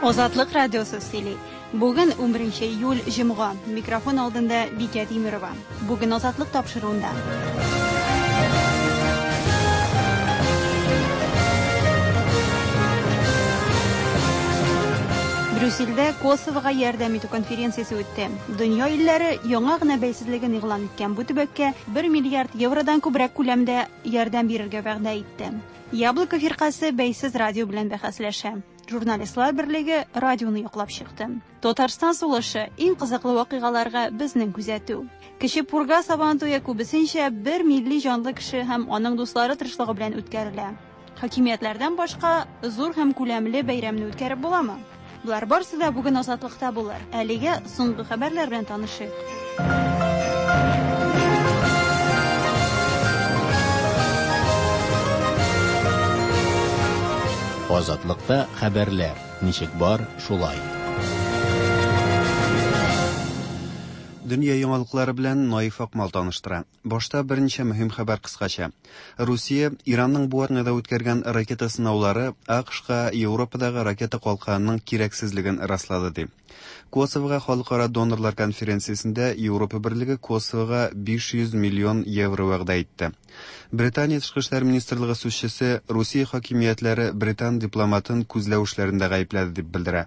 Азатлык радиосы сөйли. Бүген 11 июль җомга. Микрофон алдында Бикә Тимерова. Бүген Азатлык тапшыруында. Брюссельдә Косовога ярдәм итү конференциясе үтте. Дөнья илләре яңа гына бәйсезлеген игълан иткән бу төбәккә 1 миллиард евродан күбрәк күләмдә ярдәм бирергә вәгъдә итте. Яблоко фиркасе бәйсез радио белән бәхәсләшә. Журналистлар берлеге радионы яклап чыкты. Татарстан сулышы иң кызыклы вакыйгаларга безнең күзәтү. Кече Пурга Сабан туе күбесенчә бер милли җанлы кеше һәм аның дуслары тырышлыгы белән үткәрелә. Хакимиятләрдән башка зур һәм күләмле бәйрәмне үткәреп буламы? Болар барысы да бүген Азатлыкта булыр. Әлегә соңгы хәбәрләр белән танышыйк. Азатлыкта хәбәрләр ничек бар, шулай. Дөнья яңалыклары белән Наиф Акмал таныштыра. Башта берничә мөһим хәбәр кыскача. Русия Иранның бу атнада үткәргән ракета сынаулары АКШка Европадагы ракета калканының кирәксезлеген раслады ди. Косовога халыкара донорлар конференциясендә Европа Берлеге Косовога 500 миллион евро вәгъдә итте. Британия тышкы эшләр министрлыгы сүзчесе Русия хакимиятләре британ дипломатын күзләү эшләрендә гаепләде дип белдерә.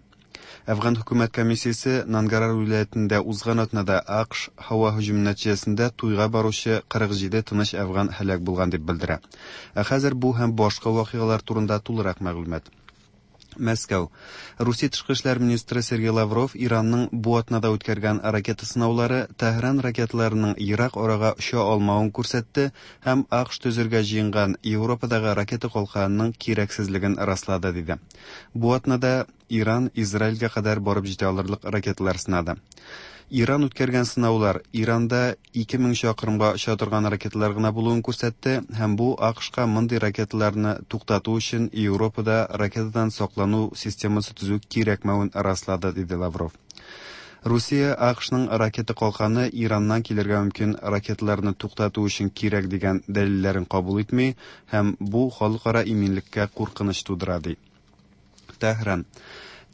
Әфган хөкүмәт комиссиясе Нангарар вилаятендә узган атнада АКШ һава һөҗүме нәтиҗәсендә туйга баручы 47 тыныч әфган һәлак булган дип белдерә. Ә хәзер бу һәм башка вакыйгалар турында тулырак мәгълүмат. Мәскәү. Русия тышкы эшләр министры Сергей Лавров Иранның бу атнада үткәргән ракета сынаулары Тәһран ракеталарының ерак арага оча алмавын күрсәтте һәм АКШ төзергә җыенган Европадагы ракета калканының кирәксезлеген раслады, диде. Бу атнада Иран Израильгә кадәр барып җитә алырлык ракеталар сынады. Иран үткәргән сынаулар Иранда 2000 чакрымга оча торган ракеталар гына булуын күрсәтте һәм бу АКШка мондый ракеталарны туктату өчен Европада ракетадан саклану системасы төзү кирәкмәвен раслады, диде Лавров. Русия АКШның ракета калканы Ираннан килергә мөмкин ракеталарны туктату өчен кирәк дигән дәлилләрен кабул итми һәм бу халыкара иминлеккә куркыныч тудыра, ди. Тәһран.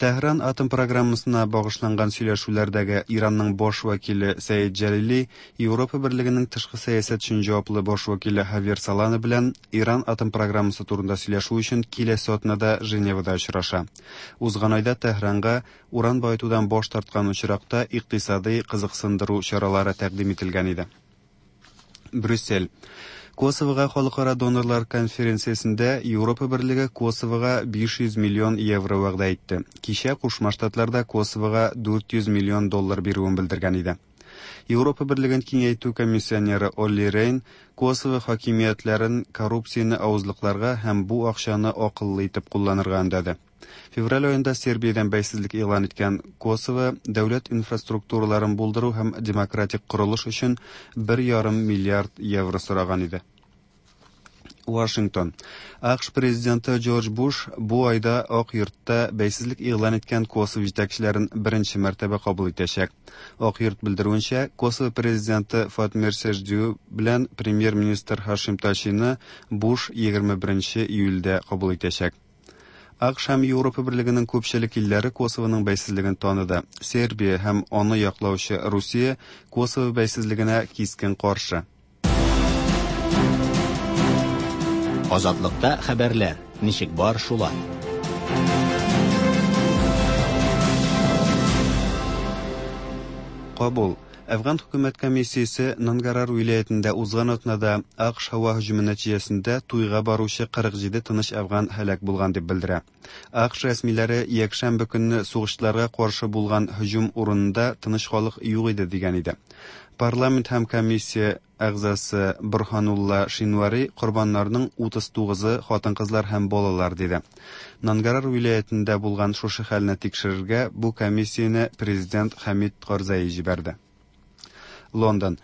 Тәһран атом программасына багышланган сөйләшүләрдәге Иранның баш вәкиле Сәид Җәлили Европа Берлегенең тышкы сәясәт өчен җаваплы баш вәкиле Хавьер Солана белән Иран атом программасы турында сөйләшү өчен киләсе атнада Женевада очраша. Узган айда Тәһранга уран баетудан баш тарткан очракта икътисадый кызыксындыру чаралары тәкъдим ителгән иде. Брюссель. Косовога халыкара донорлар конференциясендә Европа Берлеге Косовога 500 миллион евро вәгъдә итте. Кичә Кушма Штатлар да Косовога 400 миллион доллар бирүен белдергән иде. Европа Берлеген киңәйтү комиссионеры Олли Рейн Косово хакимиятләрен коррупцияне авызлыкларга һәм бу акчаны акыллы итеп кулланырга өндәде. Февраль аенда Сербиядән бәйсезлек игълан иткән Косово дәүләт инфраструктураларын булдыру һәм демократик корылыш өчен 1,5 миллиард евро сораган иде. Вашингтон. АКШ президенты Джордж Буш бу айда Ак йортта бәйсезлек игълан иткән Косово җитәкчеләрен беренче мәртәбә кабул итәчәк. Ак йорт белдерүенчә, Косово президенты Фатмир Сеждю белән премьер-министр Хашим Тачины Буш 21 июльдә кабул итәчәк. АКШ һәм Европа Берлегенең күпчелек илләре Косовоның бәйсезлеген таныды. Сербия һәм аны яклаучы Русия Косово бәйсезлегенә кискен каршы. Азатлыкта хәбәрләр ничек бар, шулай. Кабул. Әфган хөкүмәт комиссиясе Нангарар вилаятендә узган атнада АКШ һава һөҗүме нәтиҗәсендә туйга баручы 47 тыныч әфган һәлак булган дип белдерә. АКШ рәсмиләре якшәмбе көнне сугышчыларга каршы булган һөҗүм урынында тыныч халык юк иде дигән иде. Парламент һәм комиссия әгъзасы Борһанулла Шинвари корбаннарның 39-ы хатын-кызлар һәм балалар диде. Нангарар вилаятендә булган шушы хәлне тикшерергә бу комиссияне президент Хамид Карзаи җибәрде. Лондон.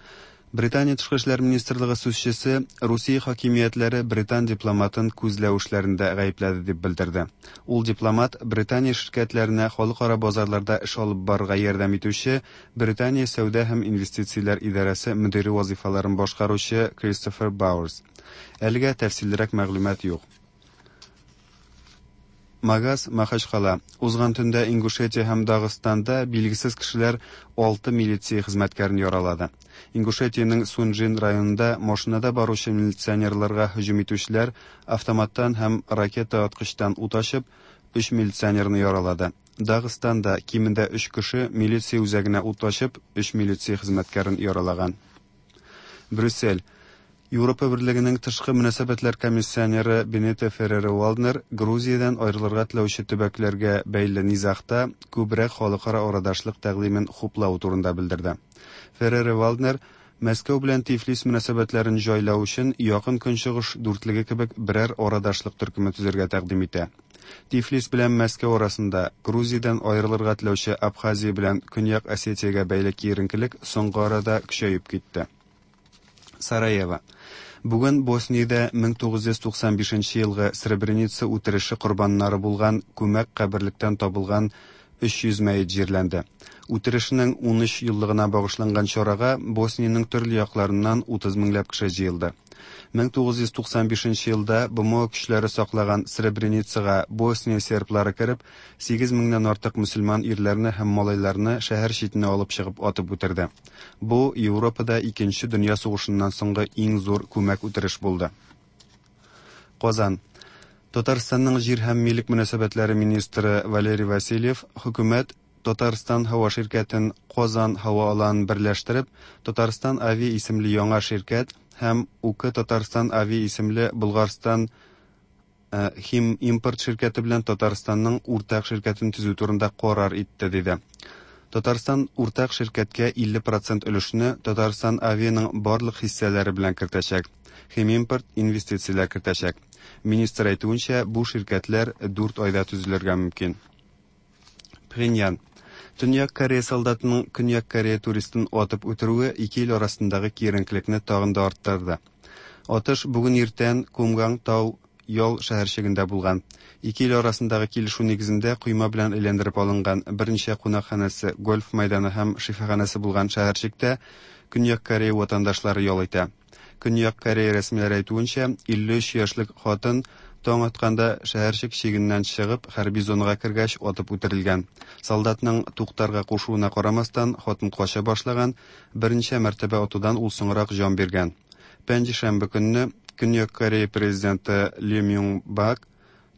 Британия тышкы эшләр министрлыгы сүзчесе Русия хакимиятләре британ дипломатын күзләү эшләрендә гаепләде дип белдерде. Ул дипломат Британия ширкәтләренә халыкара базарларда эш алып барырга ярдәм итүче Британия сәүдә һәм инвестицияләр идарәсе мөдире вазифаларын башкаручы Кристофер Бауэрс. Әлегә тәфсиллерәк мәгълүмат юк. Магас, Махачкала. Узган төндә Ингушетия һәм Дагыстанда билгесез кешеләр 6 милиция хезмәткәрен яралады. Ингушетиянең Сунжин районында машинада баручы милиционерларга һөҗүм итүчеләр автоматтан һәм ракета аткычтан ут ачып, 3 милиционерны яралады. Дагыстанда кимендә 3 кеше милиция үзәгенә ут ачып, 3 милиция хезмәткәрен яралаган. Брюссель. Европа Берлегенең тышкы мөнәсәбәтләр комиссионеры Бенито Ферреро-Валднер Грузиядән аерылырга теләүче төбәкләргә бәйле низагта күбрәк халыкара арадашлык тәкъдимен хуплау турында белдерде. Ферреро-Валднер Мәскәү белән Тифлис мөнәсәбәтләрен җайлау өчен Якын Көнчыгыш дүртлеге кебек берәр арадашлык төркеме төзергә тәкъдим итә. Тифлис белән Мәскәү арасында Грузиядән аерылырга теләүче Абхазия белән Көньяк Осетиягә бәйле киеренкелек соңгы арада көчәеп китте. Сараево. Бүген Босниядә 1995 елгы Сребреница үтереше корбаннары булган күмәк каберлектән табылган 300 мәет җирләнде. Үтерешнең 13 еллыгына багышланган чарага Босниянең төрле якларыннан 30 меңләп кеше җыелды. 1995 елда БМО көчләре саклаган Сребреницага Босния серблары кереп, 8 меңнән артык мөселман ирләрне һәм малайларны шәһәр читенә алып чыгып атып үтерде. Бу Европада Икенче дөнья сугышыннан соңгы иң зур күмәк үтереш булды. Казан. Татарстанның җир һәм милек мөнәсәбәтләре министры Валерий Васильев хөкүмәт Татарстан һава ширкәтен Казан һава аланын берләштереп, Татарстан Ави исемле яңа ширкәт һәм УК Татарстан Ави исемле Болгарстан Хим импорт ширкәте белән Татарстанның уртак ширкәтен төзү турында карар итте, диде. Татарстан уртак ширкәткә 50% өлешне Татарстан Авианың барлык хиссәләре белән кертәчәк. Химимпорт инвестицияләр кертәчәк. Министр әйтүенчә, бу ширкәтләр 4 айда төзелергә мөмкин. Пхеньян. Төньяк Корея солдатының Көньяк Корея туристын атып үтерүе ике ил арасындагы киеренкелекне тагын да арттырды. Атыш бүген иртән Кумганг тау ял шәһәрчегендә булган. Ике ил арасындагы килешү нигезендә койма белән әйләндереп алынган берничә кунакханәсе, гольф мәйданы һәм шифаханәсе булган шәһәрчектә Көньяк Корея ватандашлары ял итә. Көньяк Корея рәсмиләре әйтүенчә, 53 яшьлек хатын таң атканда шәһәрчек чигеннән чыгып, хәрби зонага кергәч атып үтерелгән. Солдатның туктарга кушуына карамастан, хатын кача башлаган, берничә мәртәбә атудан ул соңрак җан биргән. Пәнҗешәмбе көнне Көньяк Корея президенты Ли Мюн Бак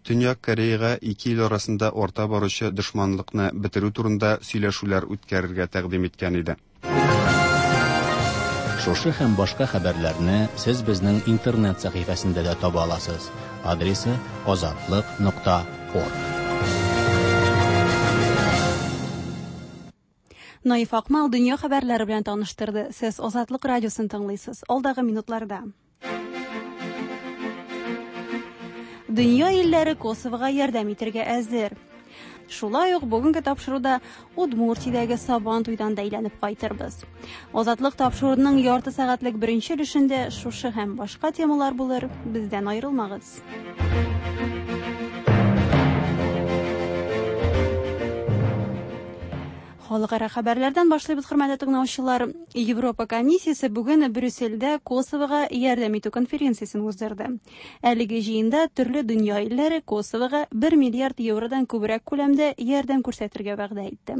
Төньяк Кореяга ике ил арасында арта баручы дошманлыкны бетерү турында сөйләшүләр үткәрергә тәкъдим иткән иде. Шушы һәм башка хәбәрләрне сез безнең интернет сәхифәсендә дә таба аласыз. Адресы azatliq.org. Наиф Акмал дөнья хәбәрләре белән таныштырды. Сез Азатлык радиосын тыңлыйсыз. Алдагы минутларда. Дөнья илләре Косовога ярдәм итәргә әзер. Шулай ук бүгенге тапшыруда Удмуртиядәге Сабан туйдан да әйләнеп кайтырбыз. Азатлык тапшыруының ярты сәгатьлек беренче өлешендә шушы һәм башка темалар булыр. Бездән аерылмагыз. Халыкара хәбәрләрдән башлыйбыз, хөрмәтле тыңлаучылар. Европа комиссиясе бүген Брюссельдә Косовога ярдәм итү конференциясен уздырды. Әлеге җыенда төрле дөнья илләре Косовога 1 миллиард евродан күбрәк күләмдә ярдәм күрсәтергә вәгъдә итте.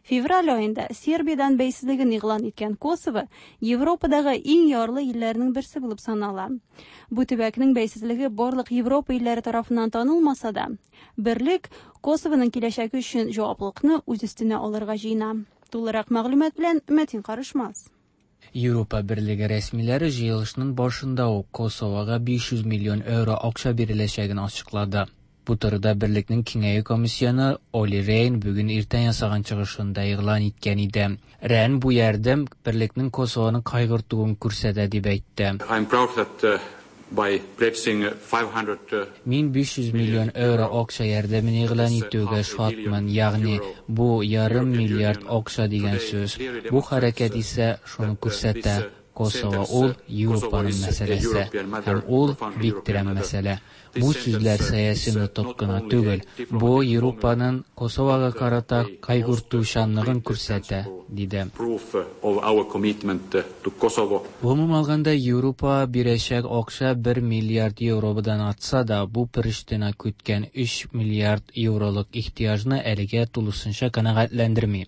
Февраль аенда Сербиядән бәйсезлеген игълан иткән Косово Европадагы иң ярлы илләрнең берсе булып санала. Бу төбәкнең бәйсезлеге барлык Европа илләре тарафыннан танылмаса да, берлек Косовоның киләчәге өчен җаваплылыкны үз өстенә алырга җыена. Тулырак мәгълүмат белән Мәтин Карышмас. Европа Берлеге рәсмиләре җыелышның башында ук Косовога 500 миллион евро акча биреләчәген ачыклады. Бу турыда Берлекнең киңәю комиссионы Оли Рейн бүген иртән ясаган чыгышында игълан иткән иде. Рейн бу ярдәм Берлекнең Косовоны кайгыртуын күрсәтә дип әйтте. I'm proud that by pledging 500 Мин 500 миллион евро акча ярдәмен игълан итүгә шатмын, ягъни бу ярым миллиард акча дигән сүз. Бу хәрәкәт исә шуны күрсәтә. Косово ул Европаның мәсьәләсе һәм ул бик тирән мәсьәлә. Бу сүзләр сәяси нотык кына түгел, бу Европаның Косовога карата кайгыртучанлыгын күрсәтә, диде. Гомум алганда, Европа бирәчәк акча 1 миллиард евродан артса да, бу Приштина көткән 3 миллиард евролык ихтыяҗны әлегә тулысынча канәгатьләндерми.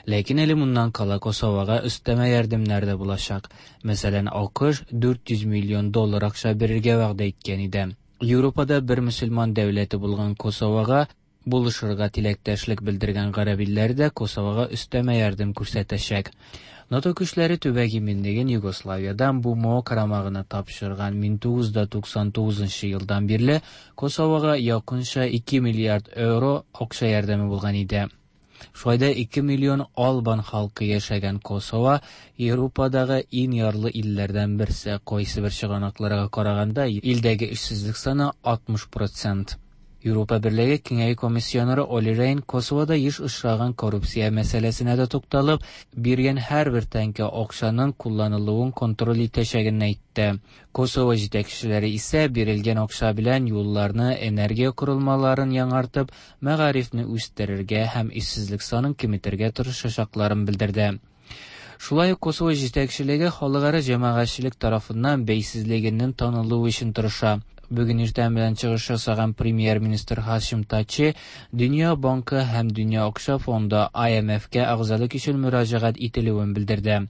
Ләкин әле моннан кала Косовога өстәмә ярдәмнәр дә булачак. Мәсәлән, АКШ 400 миллион доллар акча бирергә вәгъдә иткән иде. Европада бер мөселман дәүләте булган Косовога булышырга теләктәшлек белдергән гарәп илләре дә Косовога өстәмә ярдәм күрсәтәчәк. НАТО көчләре төбәк иминлеген Югославиядан БМО карамагына тапшырган 1999 елдан бирле Косовога якынча 2 миллиард евро акча ярдәме булган иде. Шулай да 2 миллион албан халкы яшәгән Косово Европадагы иң ярлы илләрдән берсе. Кайсы бер чыганакларга караганда, илдәге эшсезлек саны 60%. Европа Берлеге Киңәю комиссионеры Оли Рейн Косовода еш очраган коррупция мәсьәләсенә дә тукталып, биргән һәрбер тәңкә акчаның кулланылуын контроль итәчәген әйтте. Косово җитәкчеләре исә бирелгән акча белән юлларны, энергия корылмаларын яңартып, мәгарифне үстерергә һәм эшсезлек санын киметергә тырышачакларын белдерде. Шулай ук Косово җитәкчелеге халыкара җәмәгатьчелек тарафыннан бәйсезлегенең танылуы өчен тырыша. Бүген иртән белән чыгыш ясаган премьер-министр Хашим Тачи Дөнья банкы һәм Дөнья акча фонды IMF-кә әгъзалык өчен мөрәҗәгать ителүен белдерде.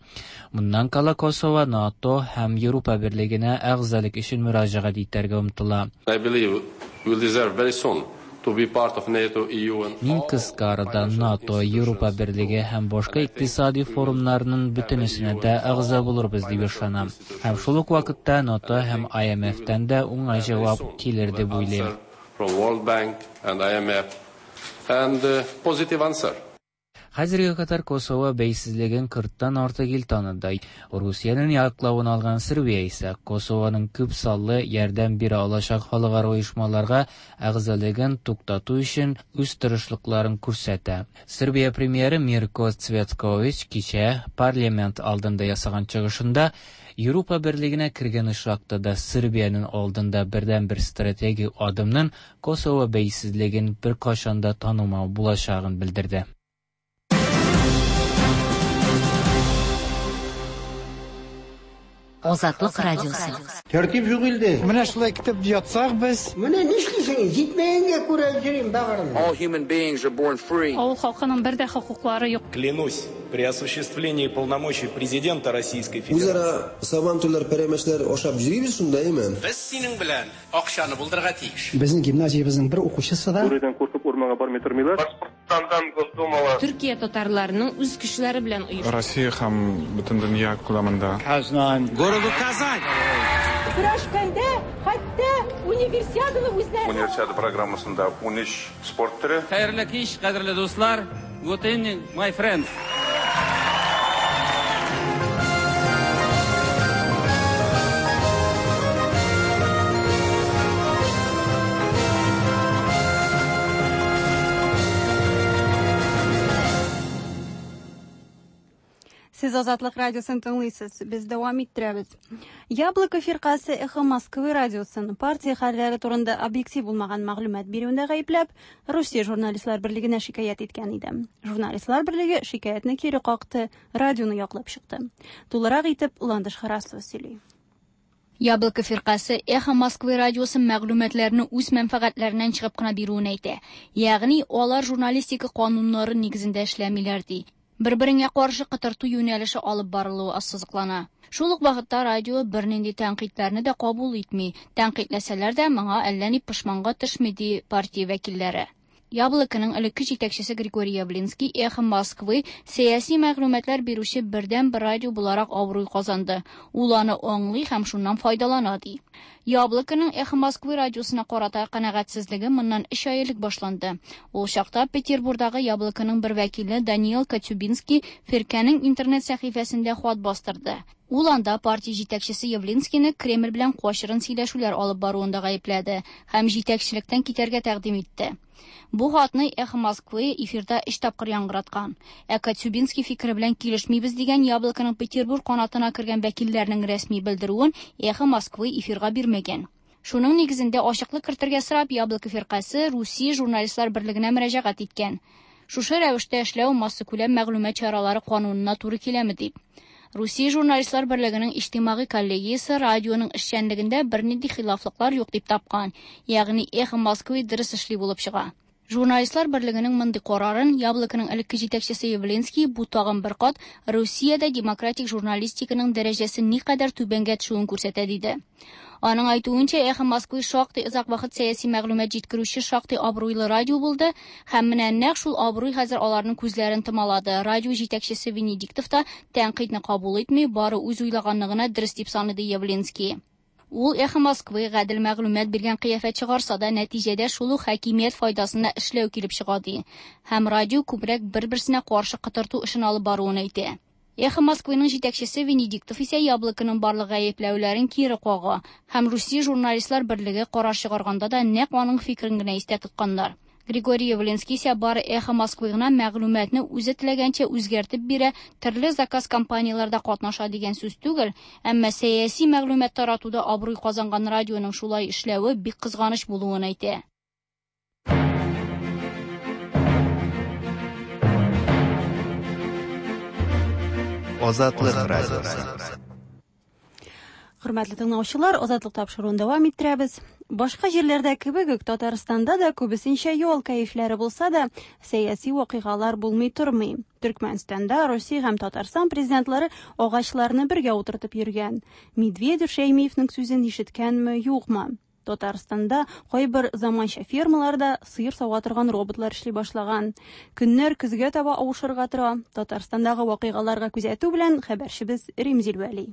Моннан кала Косово НАТО һәм Европа Берлегенә әгъзалык өчен мөрәҗәгать итәргә омтыла. I believe we'll deserve very soon to be part of NATO, EU and Мин кыска арада НАТО, Европа Берлеге һәм башка икътисади форумнарның бөтенесенә дә әгъза булырбыз дип ышанам. Һәм шул ук вакытта НАТО һәм IMF-тән дә уңай җавап килер дип уйлыйм. From World Bank and IMF and positive answer. Хәзергә кадәр Косово бәйсезлеген 40-тан артык ил таныды. Русиянең яклавын алган Сербия исә Косованың күп саллы ярдәм бирә алачак халыкара оешмаларга әгъзалыгын туктату өчен үз тырышлыкларын күрсәтә. Сербия премьеры Мирко Цветкович кичә парламент алдында ясаган чыгышында Европа Берлегенә кергән очракта да Сербиянең алдында бердәнбер стратегик адымның Косово бәйсезлеген беркайчан да танымау булачагын белдерде. Азатлык радиосы. Тәртип юк илдә. Менә шулай көтеп ятсак без. Менә нишлисең? Җитмәгәнгә күрә йөрим багырым. All human beings are born free. Авыл халкының бер дә хокуклары юк. Клянусь, при осуществлении полномочий президента Российской Федерации. Үзара сабантуйлар, пәрәмәчләр ашап йөрибез шунда, әйме? Без синең белән акчаны булдырырга тиеш. Безнең гимназиябезнең бер укучысы да Бүредән куркып урманга бармый тормыйлар. Башкортстандан Госдумага. Төркия татарларының үз көчләре белән оештырган. Россия һәм бөтен дөнья күләмендә. Казань. Городу Казань. Көрәшкәндә хәтта универсиаданы үзләре. Универсиада программасында 13 спорт төре. Хәерле кич, кадерле дуслар. Good evening, my friends. Сез Азатлык радиосын тыңлыйсыз. Без дәвам иттерәбез. Яблоко фиркасе Эхо Москвы радиосын партия хәлләре турында объектив булмаган мәгълүмат бирүендә гаепләп, Русия журналистлар берлегенә шикаять иткән иде. Журналистлар берлеге шикаятьне кире какты, радионы яклап чыкты. Тулырак итеп Ландыш Харасова сөйли. Яблоко фиркасе Эхо Москвы радиосы мәгълүматларны үз мәнфәгатьләреннән чыгып кына бирүен әйтә. Ягъни алар журналистика кануннары нигезендә эшләмиләр ди. Бер-береңә каршы кытырту юнәлеше алып барылуы ассызыклана. Шул ук вакытта радио бернинди тәнкыйтьләрне дә кабул итми. Тәнкыйтьләсәләр дә моңа әллә ни пошманга төшми ди партия вәкилләре. Яблоконың элекке җитәкчесе Григорий Явлинский Эхо Москвы сәяси мәгълүматлар бирүче бердәнбер радио буларак абруй казанды. Ул аны аңлый һәм шуннан файдалана ди. Яблоконың Эхо Москвы радиосына карата канәгатьсезлеге моннан 3 ай элек башланды. Ул чакта Петербургдагы Яблоконың бер вәкиле Даниил Катюбинский фиркәнең интернет сәхифәсендә хат бастырды. Ул анда партия җитәкчесе Явлинскийны Кремль белән кашырын сөйләшүләр алып баруында гаепләде һәм җитәкчелектән китәргә тәкъдим итте. Бу хатны Эхо Москвы эфирда өч тапкыр яңгыраткан. Ә Коцюбинский фикере белән килешмибез дигән Яблоконың Петербург канатына кергән вәкилләрнең рәсми белдерүен Эхо Москвы эфирга бирмәгән. Шуның нигезендә ачыклык кертергә сорап Яблоко фиркасе Русия журналистлар берлегенә мөрәҗәгать иткән. Шушы рәвештә эшләү массакүләм мәгълүмат чаралары канунына туры киләме дип. Русия журналистлар берлегенең иҗтимагый коллегиясе радионың эшчәнлегендә бернинди хилафлыклар юк дип тапкан, ягъни Эхо Москвы дөрес эшли булып чыга. Журналистлар берлегенең мондый карарын Яблоконың элекке җитәкчесе Явлинский бу тагын бер кат Русиядә демократик журналистиканың дәрәҗәсе никадәр түбәнгә төшүен күрсәтә диде. Аның әйтүенчә, Эхо Москвы шактый озак вакыт сәяси мәгълүмат җиткерүче шактый абруйлы радио булды һәм менә нәкъ шул абруй хәзер аларның күзләрен томалады. Радио җитәкчесе Венедиктов та тәнкыйтьне кабул итми, бары үз уйлаганны гына дөрес дип санады Явлинский. Ул Эхо Москвы гадел мәгълүмат биргән кыяфәт чыгарса да, нәтиҗәдә шул ук хакимият файдасына эшләү килеп чыга ди. Һәм радио күбрәк бер-берсенә каршы котырту эшен алып баруын әйтә. Эхо Москвының җитәкчесе Венедиктов исә Яблоконың барлык гаепләүләрен кире кага һәм Русия журналистлар берлеге карар чыгарганда да нәкъ аның фикерен генә истә тотканнар. Григорий Явлинский исә бары Эхо Москвы гына мәгълүматны үзе теләгәнчә үзгәртеп бирә, төрле заказ компанияләрдә катнаша дигән сүз түгел, әмма сәяси мәгълүмат таратуда абруй казанган радионың шулай эшләве бик кызганыч булуын әйтә. Азатлык радиосы. Хөрмәтле тыңлаучылар, Азатлык тапшыруын дәвам иттерәбез. Башка җирләрдә кебек үк Татарстанда да күбесенчә ял кәефләре булса да, сәяси вакыйгалар булмый тормый. Төркмәнстанда Русия һәм Татарстан президентлары агачларны бергә утыртып йөргән. Медведев Шәймиевнең сүзен ишеткәнме, юкмы? Татарстанда кайбер заманча фермаларда сыер сава торган роботлар эшли башлаган. Көннәр көзгә таба авышырга тора. Татарстандагы вакыйгаларга күзәтү белән хәбәрчебез Римзил Вәли.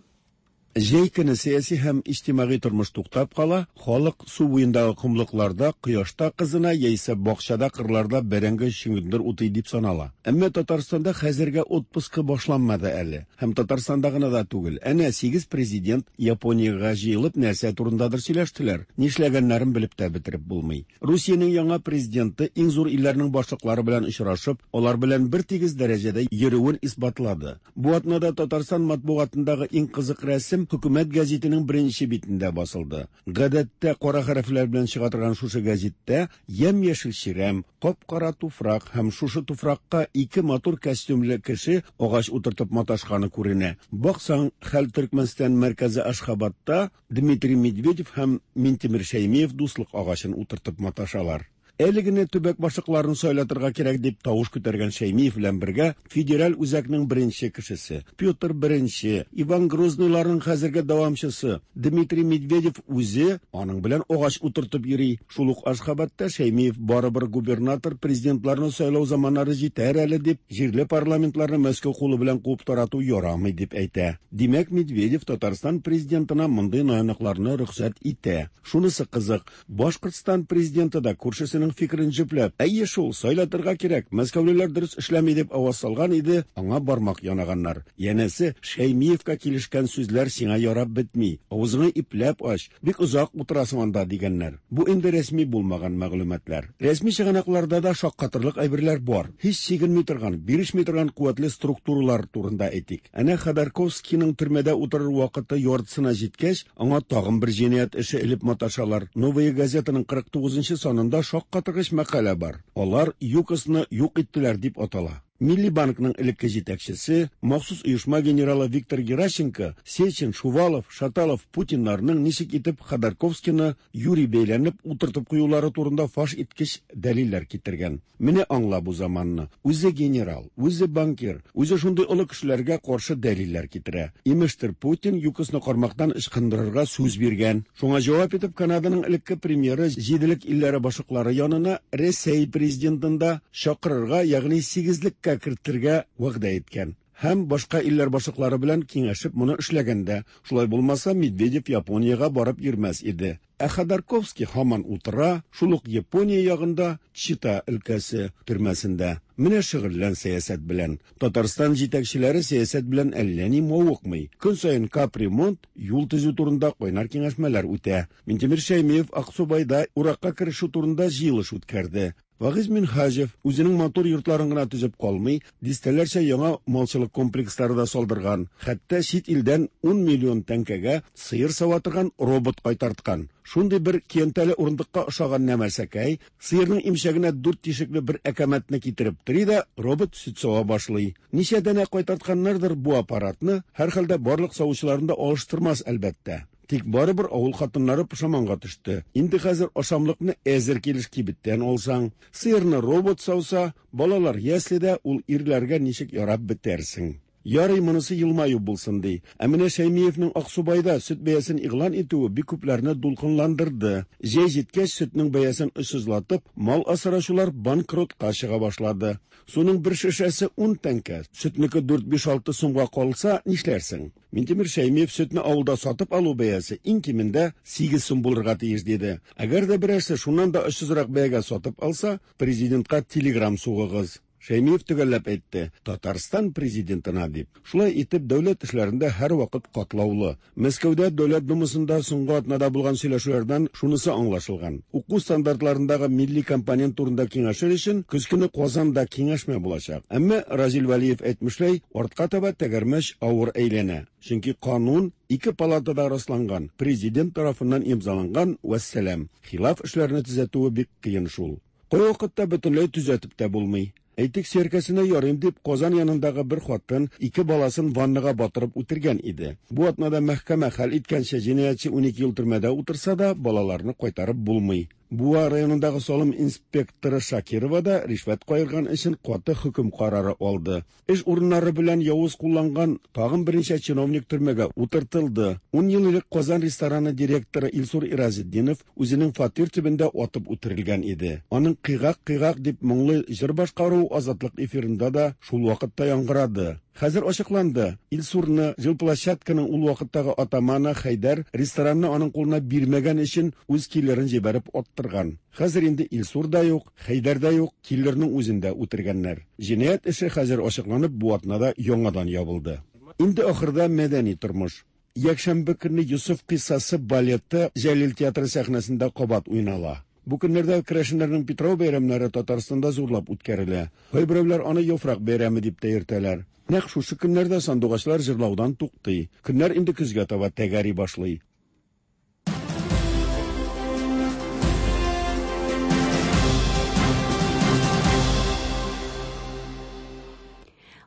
Җәй көне сәяси һәм иҗтимагый тормыш туктап кала, халык су буендагы комлыкларда, кояшта кызына яисә бакчада, кырларда бәрәңге чөгендер утый дип санала. Әмма Татарстанда хәзергә отпускы башланмады әле. Һәм Татарстанда гына да түгел. Әнә 8 президент Япониягә җыелып нәрсә турындадыр сөйләштеләр. Нишләгәннәрен белеп тә бетереп булмый. Русиянең яңа президенты иң зур илләрнең башлыклары белән очрашып, алар белән бер тигез дәрәҗәдә йөрүен исбатлады. Бу атнада Татарстан матбугатындагы иң кызык рәсем Хөкүмәт гәзитенең беренче битендә басылды. Гадәттә кара хәрефләр белән чыга торган шушы гәзиттә ямь-яшел чирәм, кап-кара туфрак һәм шушы туфракка ике матур костюмлы кеше агач утыртып маташканы күренә. Баксаң, хәл Төркмәнстан мәркәзе Ашхабадта Дмитрий Медведев һәм Минтимер Шәймиев дуслык агачын утыртып маташалар. Әле генә төбәк башлыкларын сайлатырга кирәк дип тавыш күтәргән Шәймиев белән бергә федераль үзәкнең беренче кешесе Петр I, Иван Грозныйларның хәзерге дәвамчысы Дмитрий Медведев үзе аның белән агач утыртып йөри. Шул ук Ашхабадта Шәймиев барыбер губернатор президентларны сайлау заманнары җитәр әле дип, җирле парламентларны Мәскәү кулы белән куып тарату ярамый дип әйтә. Димәк, Медведев Татарстан президентына мондый наяныкларны рөхсәт итә. Шунысы кызык, Башкортстан президенты да күршесенең фикерен җөпләп, әйе шул, сайлатырга кирәк, мәскәүлеләр дөрес эшләми дип аваз салган иде, аңа бармак янаганнар. Янәсе, Шәймиевка килешкән сүзләр сиңа ярап бетми, авызыңны ипләп ач, бик озак утырасың анда дигәннәр. Бу инде рәсми булмаган мәгълүматлар. Рәсми чыганакларда да шаккатырлык әйберләр бар. Һич чигенми торган, бирешми торган куәтле структуралар турында әйтик. Әнә Ходорковскийның төрмәдә утырыр вакыты яртысына җиткәч, аңа тагын бер җинаять эше элеп маташалар. Новая газетаның 49 санында шаккатыргыч мәкалә бар. Алар ЮКОСны юк иттеләр дип атала. Милли банкның элекке җитәкчесе, махсус оешма генералы Виктор Геращенко, Сечин, Шувалов, Шаталов, Путиннарның ничек итеп Ходорковскийны юри бәйләнеп утыртып куюлары турында фаш иткеч дәлилләр китергән. Менә аңла бу заманны. Үзе генерал, үзе банкир, үзе шундый олы кешеләргә каршы дәлилләр китерә. Имештер, Путин ЮКОСны кармактан ычкындырырга сүз биргән. Шуңа җавап итеп Канаданың элекке премьеры җиделек илләре башлыклары янына Рәсәй президентын да чакырырга, ягъни сигезлеккә кертергә вәгъдә иткән. Һәм башка илләр башлыклары белән киңәшеп моны эшләгәндә, шулай булмаса Медведев Япониягә барып йөрмәс иде. Ә Ходорковский һаман утыра, шул ук Япония ягында Чита өлкәсе төрмәсендә. Менә шөгыльлән сәясәт белән. Татарстан җитәкчеләре сәясәт белән әллә ни мавыкмый. Көн саен капремонт, юл төзү турында кайнар киңәшмәләр үтә. Минтимер Шәймиев Аксубайда уракка керешү турында җыелыш үткәрде. Вагиз Минһаҗев үзенең матур йортларын гына төзеп калмый, дистәләрчә яңа малчылык комплекслары да салдырган, хәтта чит илдән 10 миллион тәңкәгә сыер сава торган робот кайтарткан. Шундый бер көянтәле урындыкка ошаган нәмәрсәкәй, сыерның имчәгенә дүрт тишекле бер әкәмәтне китереп тери дә, робот сөт сава башлый. Ничә данә кайтартканнардыр бу аппаратны, һәрхәлдә барлык савучыларын да алыштырмас, әлбәттә. Тик барыбер авыл хатыннары пошаманга төште. Инде хәзер ашамлыкны әзер килеш кибеттән алсаң, сыерны робот сауса, балалар яследә ул ирләргә ничек ярап бетәрсең? Ярый, монысы елмаю булсын ди. Ә менә Шәймиевнең Аксубайда сөт бәясен игълан итүе бик күпләрне дулкынландырды. Җәй җиткәч, сөтнең бәясен очсызлатып, мал асраучылар банкротка чыга башлады. Суның бер шешәсе 10 тәңкә, сөтнеке 4-5-6 сумга калса, нишләрсең? Минтимер Шәймиев сөтне авылда сатып алу бәясе иң кимендә 8 сум булырга тиеш диде. Әгәр дә берәрсе шуннан да очсызрак бәягә сатып алса, президентка телеграм сугыгыз. Шәймиев төгәлләп әйтте, Татарстан президентына дип. Шулай итеп, дәүләт эшләрендә һәрвакыт катлаулы. Мәскәүдә Дәүләт Думасында соңгы атнада булган сөйләшүләрдән шунысы аңлашылган. Уку стандартларындагы милли компонент турында киңәшер өчен көз көне Казанда киңәшмә булачак. Әмма Разил Вәлиев әйтмешләй, артка таба тәгәрмәч авыр әйләнә. Чөнки канун ике палатада расланган, президент тарафыннан имзаланган, вәссәлам. Хилаф эшләрне төзәтүе бик кыен шул. Кайвакытта бөтенләй төзәтеп тә булмый. Әйтик, сөяркәсенә ярыйм дип, Казан янындагы бер хатын ике баласын ваннага батырып үтергән иде. Бу атнада мәхкәмә хәл иткәнчә, җинаятьче 12 ел төрмәдә утырса да, балаларны кайтарып булмый. Буа районындагы салым инспекторы Шакирова да ришвәт каерган өчен каты хөкем карары алды. Эш урыннары белән явыз кулланган тагын берничә чиновник төрмәгә утыртылды. Ун ел элек Казан рестораны директоры Илсур Иразетдинов үзенең фатир төбендә атып үтерелгән иде. Аның Кыйгак-кыйгак дип моңлы җыр башкаруы Азатлык эфирында да шул вакытта яңгырады. Хәзер ачыкланды, Илсурны жилплощадканың ул вакыттагы атаманы Хәйдәр ресторанны аның кулына бирмәгән өчен үз киллерын җибәреп аттырган. Хәзер инде Илсур да юк, Хәйдәр дә юк, киллерның үзен дә үтергәннәр. Җинаять эше хәзер ачыкланып, бу атнада яңадан ябылды. Инде ахырда мәдәни тормыш. Якшәмбе көнне Йосыф кыйссасы балеты Җәлил театры сәхнәсендә кабат уйнала. Бу көннәрдә керәшеннәрнең Питрау бәйрәмнәре Татарстанда зурлап үткәрелә. Кайберәүләр аны Яфрак бәйрәме дип тә йөртәләр. Нәкъ шушы көннәрдә сандугачлар җырлаудан туктый. Көннәр инде көзгә таба тәгәри башлый.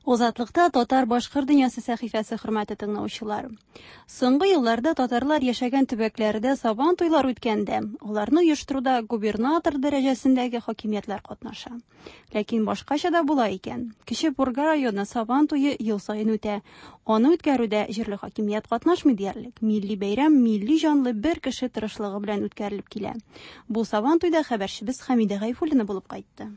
Озатлыкта татар башкыр дөньясы сәхифәсе хөрмәтле тыңлаучылар. Соңгы елларда татарлар яшәгән төбәкләрдә сабан туйлар үткәндә, аларны оештыруда губернатор дәрәҗәсендәге хакимиятләр катнаша. Ләкин башкача да була икән. Кече Пурга районы Сабан туе ел саен үтә. Аны үткәрүдә җирле хакимият катнашмый диярлек. Милли бәйрәм милли җанлы бер кеше тырышлыгы белән үткәрелеп килә. Бу Сабан туйда хәбәрчебез Хәмидә Гайфуллина булып кайтты.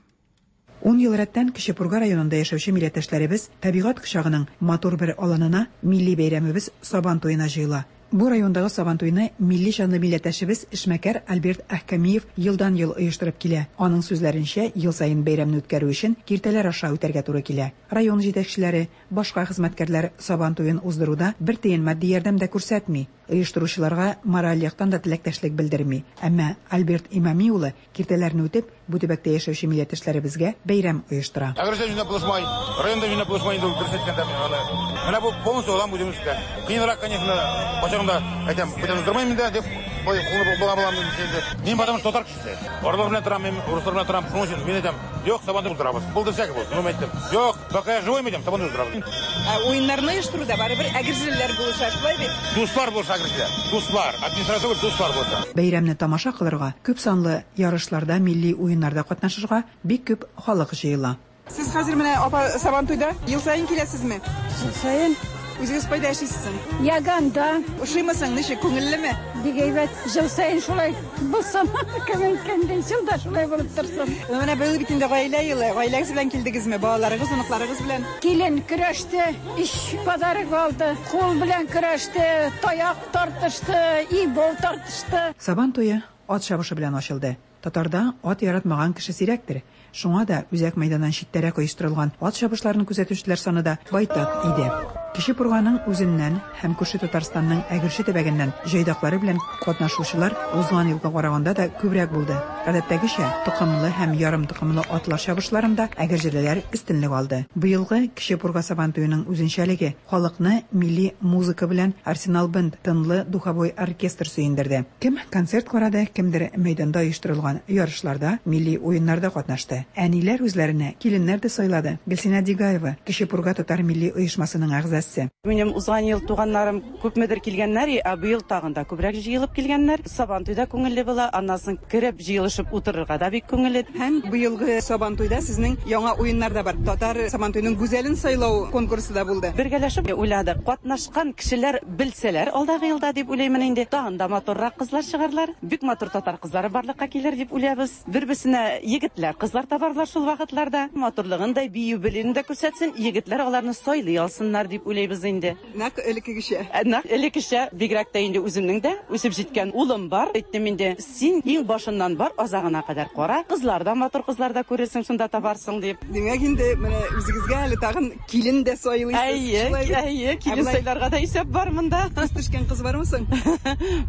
Ун ел рәттән Кече Пурга районында яшәүче милләттәшләребез табигать кочагының матур бер аланына милли бәйрәмебез Сабан туена җыела. Бу райондагы Сабантуйны милли җанлы милләттәшебез, эшмәкәр Альберт Әхкәмиев елдан-ел оештырып килә. Аның сүзләренчә, ел саен бәйрәмне үткәрү өчен киртәләр аша үтәргә туры килә. Район җитәкчеләре, башка хезмәткәрләр Сабан туен уздыруда бер тиен матди ярдәм дә күрсәтми. Оештыручыларга мораль яктан да теләктәшлек белдерми. Әмма Альберт Имами улы Киртәләрне үтеп, бу төбәктә яшәүче милләттәшләребезгә бәйрәм оештыра. Әгерҗе җүнләп булышмай, район да җүнләп булышмай инде ул, дөрес әйткәндә, мин аны. Менә бу полностью алам үзем өскә. Кыенрак, конечно, кайчагында әйтәм, бүтән уздырмыйм инде, дип, ой, кулны була булам инде. Мин потому что татар кешесе. Орлар белән торам, мин урыслар белән торам, шуның өчен мин әйтәм, юк, Сабантуй уздырабыз. Булды всякий булсын, ну, әйттем. Юк, пока я живой, әйтәм, Сабантуй уздырабыз. Ә уеннарны оештыруда барыбер әгерҗелеләр булыша, шулай бит? Дуслар булыша әгерҗеләр. Дуслар, администрация түгел, дуслар булыша. Бәйрәмне тамаша кылырга, күп санлы ярышларда, милли уеннарда катнашырга бик күп халык җыела. Сез хәзер менә, апа, Сабантуйда ел саен киләсезме? Ел саен. Үзегез кайда эшлисез соң? Яганда. Ошыймы соң, ничек, күңеллеме? Бик әйбәт. Ел саен шулай булсын, кем әйткәндәй, ел да шулай булып торсын. Менә быел бит инде гаилә елы. Гаиләгез белән килдегезме? Балаларыгыз, оныкларыгыз белән? Килен көрәште, өч подарок алды. Кул белән көрәште, таяк тартышты, ибол тартышты. Сабан туе ат чабышы белән ачылды. Татарда ат яратмаган кеше сирәктер. Шуңа да үзәк мәйданнан читтәрәк оештырылган ат чабышларын күзәтүчеләр саны да байтак иде. Кече Пурганың үзеннән һәм күрше Татарстанның Әгерҗе төбәгеннән җайдаклары белән катнашучылар узган елга караганда да күбрәк булды. Гадәттәгечә, токымлы һәм ярым токымлы атлар чабышларында әгерҗелеләр өстенлек алды. Быелгы Кече Пурга Сабантуеның үзенчәлеге, халыкны милли музыка белән Арсенал Бенд тынлы духовой оркестр сөендерде. Кем концерт карады, кемдер мәйданда оештырылган ярышларда, милли уеннарда катнашты. Әниләр үзләренә киленнәр дә сайлады. Гөлсинә Дигаева, Кече Пурга татар милли оешмасының әгъзасы. Минем узган ел туганнарым күпмедер килгәннәр, ә быел тагын да күбрәк җыелып килгәннәр. Сабантуй да күңелле була, аннан соң кереп җыелышып утырырга да бик күңелле. Һәм быелгы Сабантуйда сезнең яңа уеннар да бар. Татар Сабантуеның гүзәлен сайлау конкурсы да булды. Бергәләшеп уйладык. Катнашкан кешеләр белсәләр алдагы елда дип уйлыймын инде. Тагын да матуррак кызлар чыгарлар. Бик матур татар кызлары барлыкка килер дип уйлабыз. Бер-берсенә егетләр, кызлар табарлар шул вакытларда. Матурлыгын да, бию белүен дә күрсәтсен, егетләр аларны сайлый алсыннар дип уйлыйбыз инде. Нәкъ элеккегечә. Нәкъ элеккечә, бигрәк тә инде үземнең дә үсеп җиткән улым бар. Әйттем инде, син иң башыннан бар, азагына кадәр кара. Кызлар да матур кызлар да күрерсең, шунда табарсың дип. Димәк инде, менә үзегезгә әле тагын килен дә сайлыйсыз. Әйе, әйе, килен сайларга да исәп бар монда. Күз төшкән кыз бармы соң?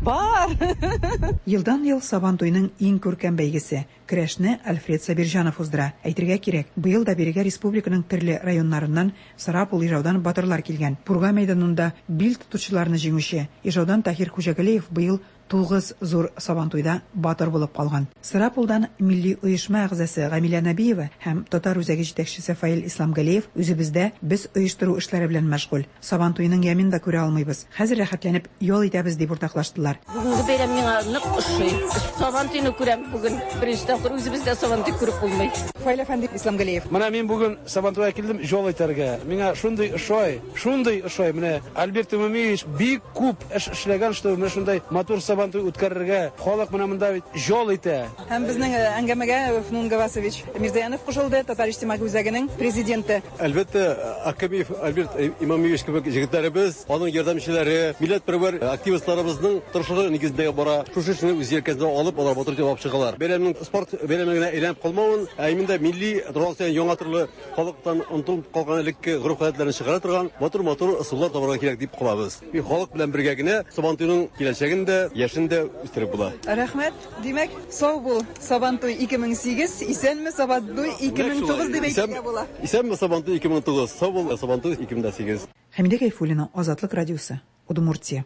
Бар. Елдан-ел Сабантуйның иң күркәм бәйгесе, көрәшне Альфред Сабирҗанов уздыра. Әйтергә кирәк, быел да бирегә республиканың төрле районнарыннан, Сарапул, Ижаудан батырлар килгән. Пурга мәйданында бил тотучыларны җиңүче, Ижаудан Таһир Хуҗагалиев быел тугыз зур Сабантуйда батыр булып калган. Сарапулдан милли оешма әгъзасы Гамилә Нәбиева һәм Татар үзәге җитәкчесе Фаил Исламгалиев үзебездә без оештыру эшләре белән мәшгуль. Сабантуйның ямен дә күрә алмыйбыз. Хәзер рәхәтләнеп ял итәбез, дип уртаклаштылар. Бүгенге бәйрәм миңа нык ошый. Сабантуйны күрәм бүген. Беренче тапкыр үзебездә Сабантуй күреп булмый. Фаил әфәнде Исламгалиев. Менә мин бүген Сабантуйга килдем ял итәргә. Миңа шундый ошый, шундый ошый. Менә Альберт Имамиевич бик күп эш эшләгән, что менә шундай матур Сабантуй үткәрергә. Халык менә монда бит ял итә. Һәм безнең әңгәмәгә Фнун Гавасович Мирзаянов кушылды, Татар иҗтимагый үзәгенең президенты. Әлбәттә, Акабиев Альберт Имамиевич кебек җегетләребез, аның ярдәмчеләре, милләтпәрвәр активистларыбызның тырышлыгы нигезендә бара. Шушы эшне үз җилкәсенә алып, алар батыр итеп алып чыгалар. Бәйрәмнең спорт бәйрәме генә әйләнеп калмавын, ә именно милли торган саен яңа төрле халыктан онытылып калган элекке гореф-гадәтләрне чыгара торган матур-матур ысуллар табарга кирәк дип калабыз. Халык белән бергә генә Сабантуйның киләчәген дә, яшен дә үстереп була. Рәхмәт. Димәк, сау бул, Сабантуй 2008, исәнме, Сабантуй 2009 дип әйтергә була. Исәнме, Сабантуй 2009, сау бул, Сабантуй 2008. Хәмидә Гайфуллина, Азатлык радиосы, Удмуртия.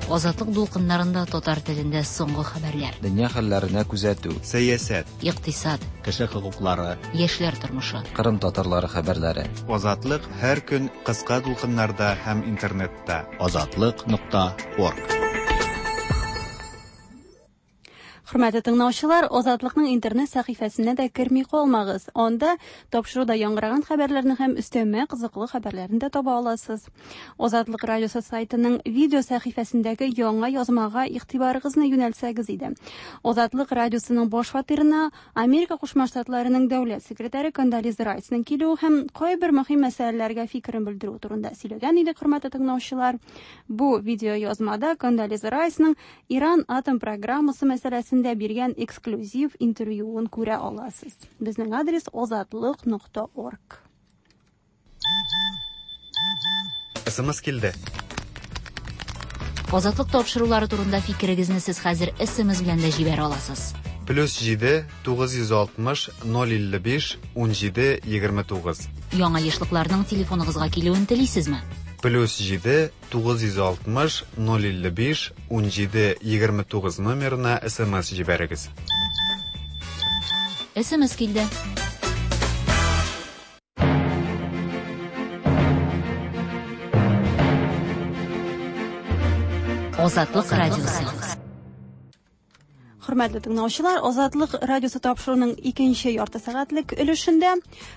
Азатлык дулкыннарында татар телендә соңгы хәбәрләр. Дөнья хәлләренә күзәтү. Сәясәт. Икътисад. Кеше хокуклары. Яшьләр тормышы. Кырым татарлары хәбәрләре. Азатлык һәр көн кыска дулкыннарда һәм интернетта. Азатлык нокта орг. Хөрмәтле тыңлаучылар, Азатлыкның интернет сәхифәсенә дә керми калмагыз. Анда тапшыруда яңгыраган хәбәрләрне һәм өстәмә кызыклы хәбәрләрне дә таба аласыз. Азатлык радиосы сайтының видео сәхифәсендәге яңа язмага игътибарыгызны юнәлтсәгез иде. Азатлык радиосының баш фатирына Америка Кушма Штатларының дәүләт секретаре Кондолиза Райсның килүе һәм кайбер мөһим мәсьәләләргә фикерен белдерү турында сөйләгән идек, хөрмәтле тыңлаучылар. Бу видео язмада Кондолиза Райсның Иран атом программасы мәсьәләсендә биргән эксклюзив интервьюын күрә аласыз. Безнең адрес озатлык.орг. СМС килде. Азатлык тапшырулары турында фикерегезне сез хәзер СМС белән дә җибәрә аласыз. Плюс 7 960 055 17 29. Яңа ешлыкларның телефоныгызга килүен телисезме? Плюс 7 960 055 17 29 номерына СМС җибәрегез. СМС килде. Азатлык радиосы. Хөрмәтле тыңлаучылар, Азатлык радиосы тапшыруының икенче ярты сәгатьлек өлешендә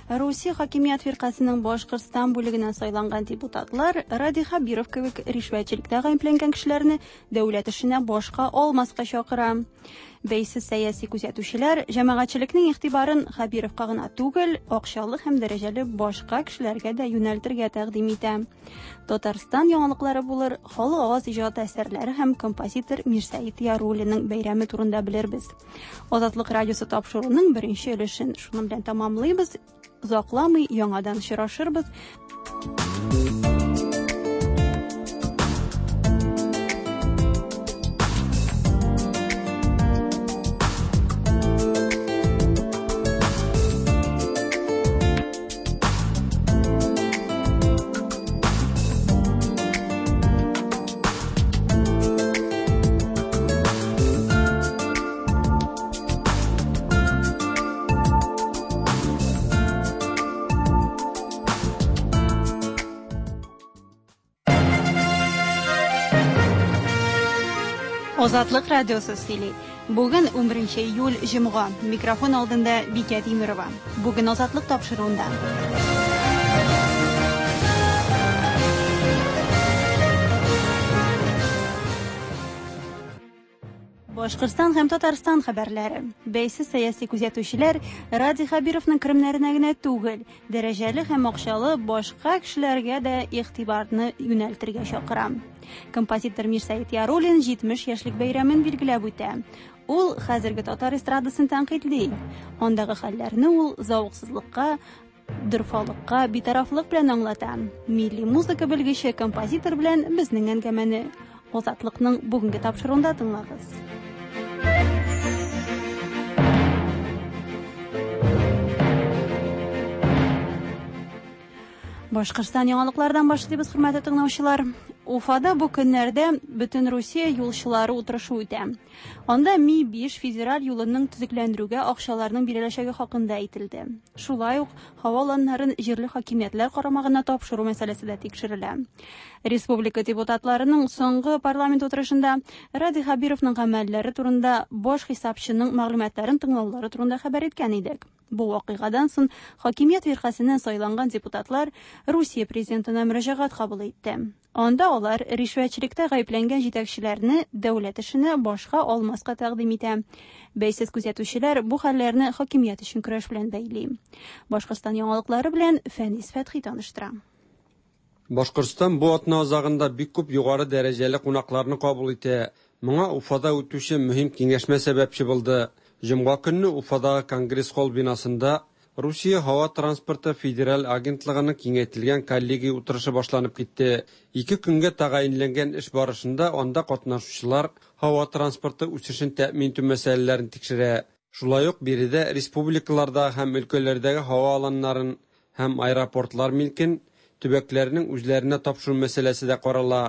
Русия хакимият фиркасының Башкортстан бүлегеннән сайланган депутатлар Радий Хәбиров кебек ришвәтчелектә гаепләнгән кешеләрне дәүләт эшенә башка алмаска чакыра. Бәйсез сәяси күзәтүчеләр җәмәгатьчелекнең игътибарын Хәбировка гына түгел, акчалы һәм дәрәҗәле башка кешеләргә дә юнәлтергә тәкъдим итә. Татарстан яңалыклары булыр, халык аваз иҗаты әсәрләре һәм композитор Мирсәет Яруллинның бәйрәме турында белербез. Азатлык радиосы тапшыруының беренче өлешен шуның белән тәмамлыйбыз. Озакламый яңадан очрашырбыз. Азатлык радиосы сөйли. Бүген 11 июль җомга. Микрофон алдында Бикә Тимерова. Бүген Азатлык тапшыруында. Башкортстан һәм Татарстан хәбәрләре. Бәйсез сәяси күзәтүчеләр Радий Хәбировның керемнәренә генә түгел, дәрәҗәле һәм акчалы башка кешеләргә дә игътибарны юнәлтергә чакыра. Композитор Мирсәет Яруллин 70 яшьлек бәйрәмен билгеләп үтә. Ул хәзерге татар эстрадасын тәнкыйтьли. Андагы хәлләрне ул зәвыксызлыкка, дорфалыкка, битарафлык белән аңлата. Милли музыка белгече композитор белән безнең әңгәмәне Азатлыкның бүгенге тапшыруында тыңлагыз. Башкортстан яңалыклардан башлыйбыз, хөрмәтле тыңлаучылар. Уфада бу көннәрдә бөтен Русия юлчылары утырышы үтә. Анда Ми-5 федераль юлының төзекләндерүгә акчаларның биреләчәге хакында әйтелде. Шулай ук һава аланнарын җирле хакимиятләр карамагына тапшыру мәсьәләсе дә тикшерелә. Республика депутатларының соңгы парламент утырышында Радий Хәбировның гамәлләре турында баш хисапчының мәгълүматларын тыңлаулары турында хәбәр иткән идек. Бу вакыйгадан соң хакимият фиркасеннән сайланган депутатлар Русия президентына мөрәҗәгать кабул итте. Анда алар ришвәтчелектә гаепләнгән җитәкчеләрне дәүләт эшенә башка алмаска тәкъдим итә. Бәйсез күзәтүчеләр бу хәлләрне хакимият өчен көрәш белән бәйли. Башкортстан яңалыклары белән Фәнис Фәтхи таныштыра. Башкортстан бу атна азагында бик күп югары дәрәҗәле кунакларны кабул итә. Моңа Уфада үтүче мөһим киңәшмә сәбәпче булды. Җомга көнне Уфадагы Конгресс-холл бинасында Русия һава транспорты федераль агентлыгының киңәйтелгән коллегия утырышы башланып китте. Ике көнгә тәгаенләнгән эш барышында анда катнашучылар һава транспорты үсешен тәэмин итү мәсьәләләрен тикшерә. Шулай ук биредә республикалардагы һәм өлкәләрдәге һава аланнарын һәм аэропортлар милкен төбәкләрнең үзләренә тапшыру мәсьәләсе дә карала.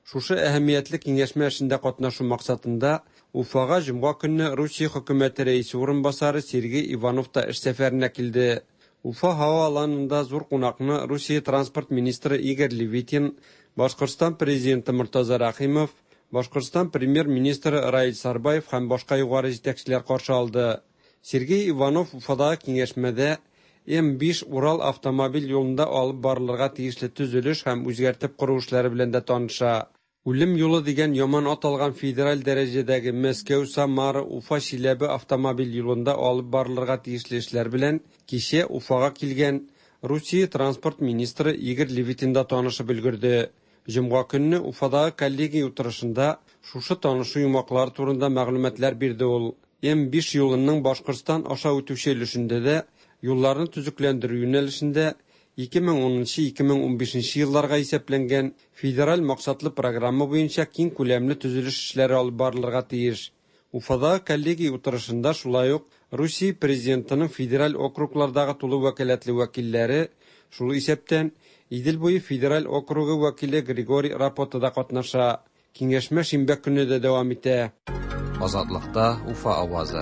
Шушы әһәмиятле киңәшмә эшендә катнашу максатында Уфага җомга көнне Русия хөкүмәте рәисе урынбасары Сергей Иванов та эш сәфәренә килде. Уфа һава аланында зур кунакны Русия транспорт министры Игорь Левитин, Башкортстан президенты Мортаза Рәхимов, Башкортстан премьер-министры Раил Сарбаев һәм башка югары җитәкчеләр каршы алды. Сергей Иванов Уфадагы киңәшмәдә М-5 Урал автомобиль юлында алып барылырга тиешле төзелеш һәм үзгәртеп кору эшләре белән дә таныша. Үлем юлы дигән яман ат алган федераль дәрәҗәдәге Мәскәү, Самара, Уфа, Чиләбе автомобиль юлында алып барылырга тиешле эшләр белән кичә Уфага килгән Русия транспорт министры Игорь Левитин да танышып өлгерде. Җомга көнне Уфадагы коллегия утырышында шушы танышу йомгаклары турында мәгълүматлар бирде ул. М-5 юлының Башкортстан аша үтүче өлешендә дә юлларны төзекләндерү юнәлешендә 2010-2015 елларга исәпләнгән федераль максатлы программа буенча киң күләмле төзелеш эшләре алып барылырга тиеш. Уфадагы коллегия утырышында шулай ук Русия Президентының федераль округлардагы тулы вәкаләтле вәкилләре, шул исәптән Идел буе федераль округы вәкиле Григорий Рапота да катнаша. Киңәшмә шимбә көнне дә дәвам итә. Азатлыкта Уфа авазы.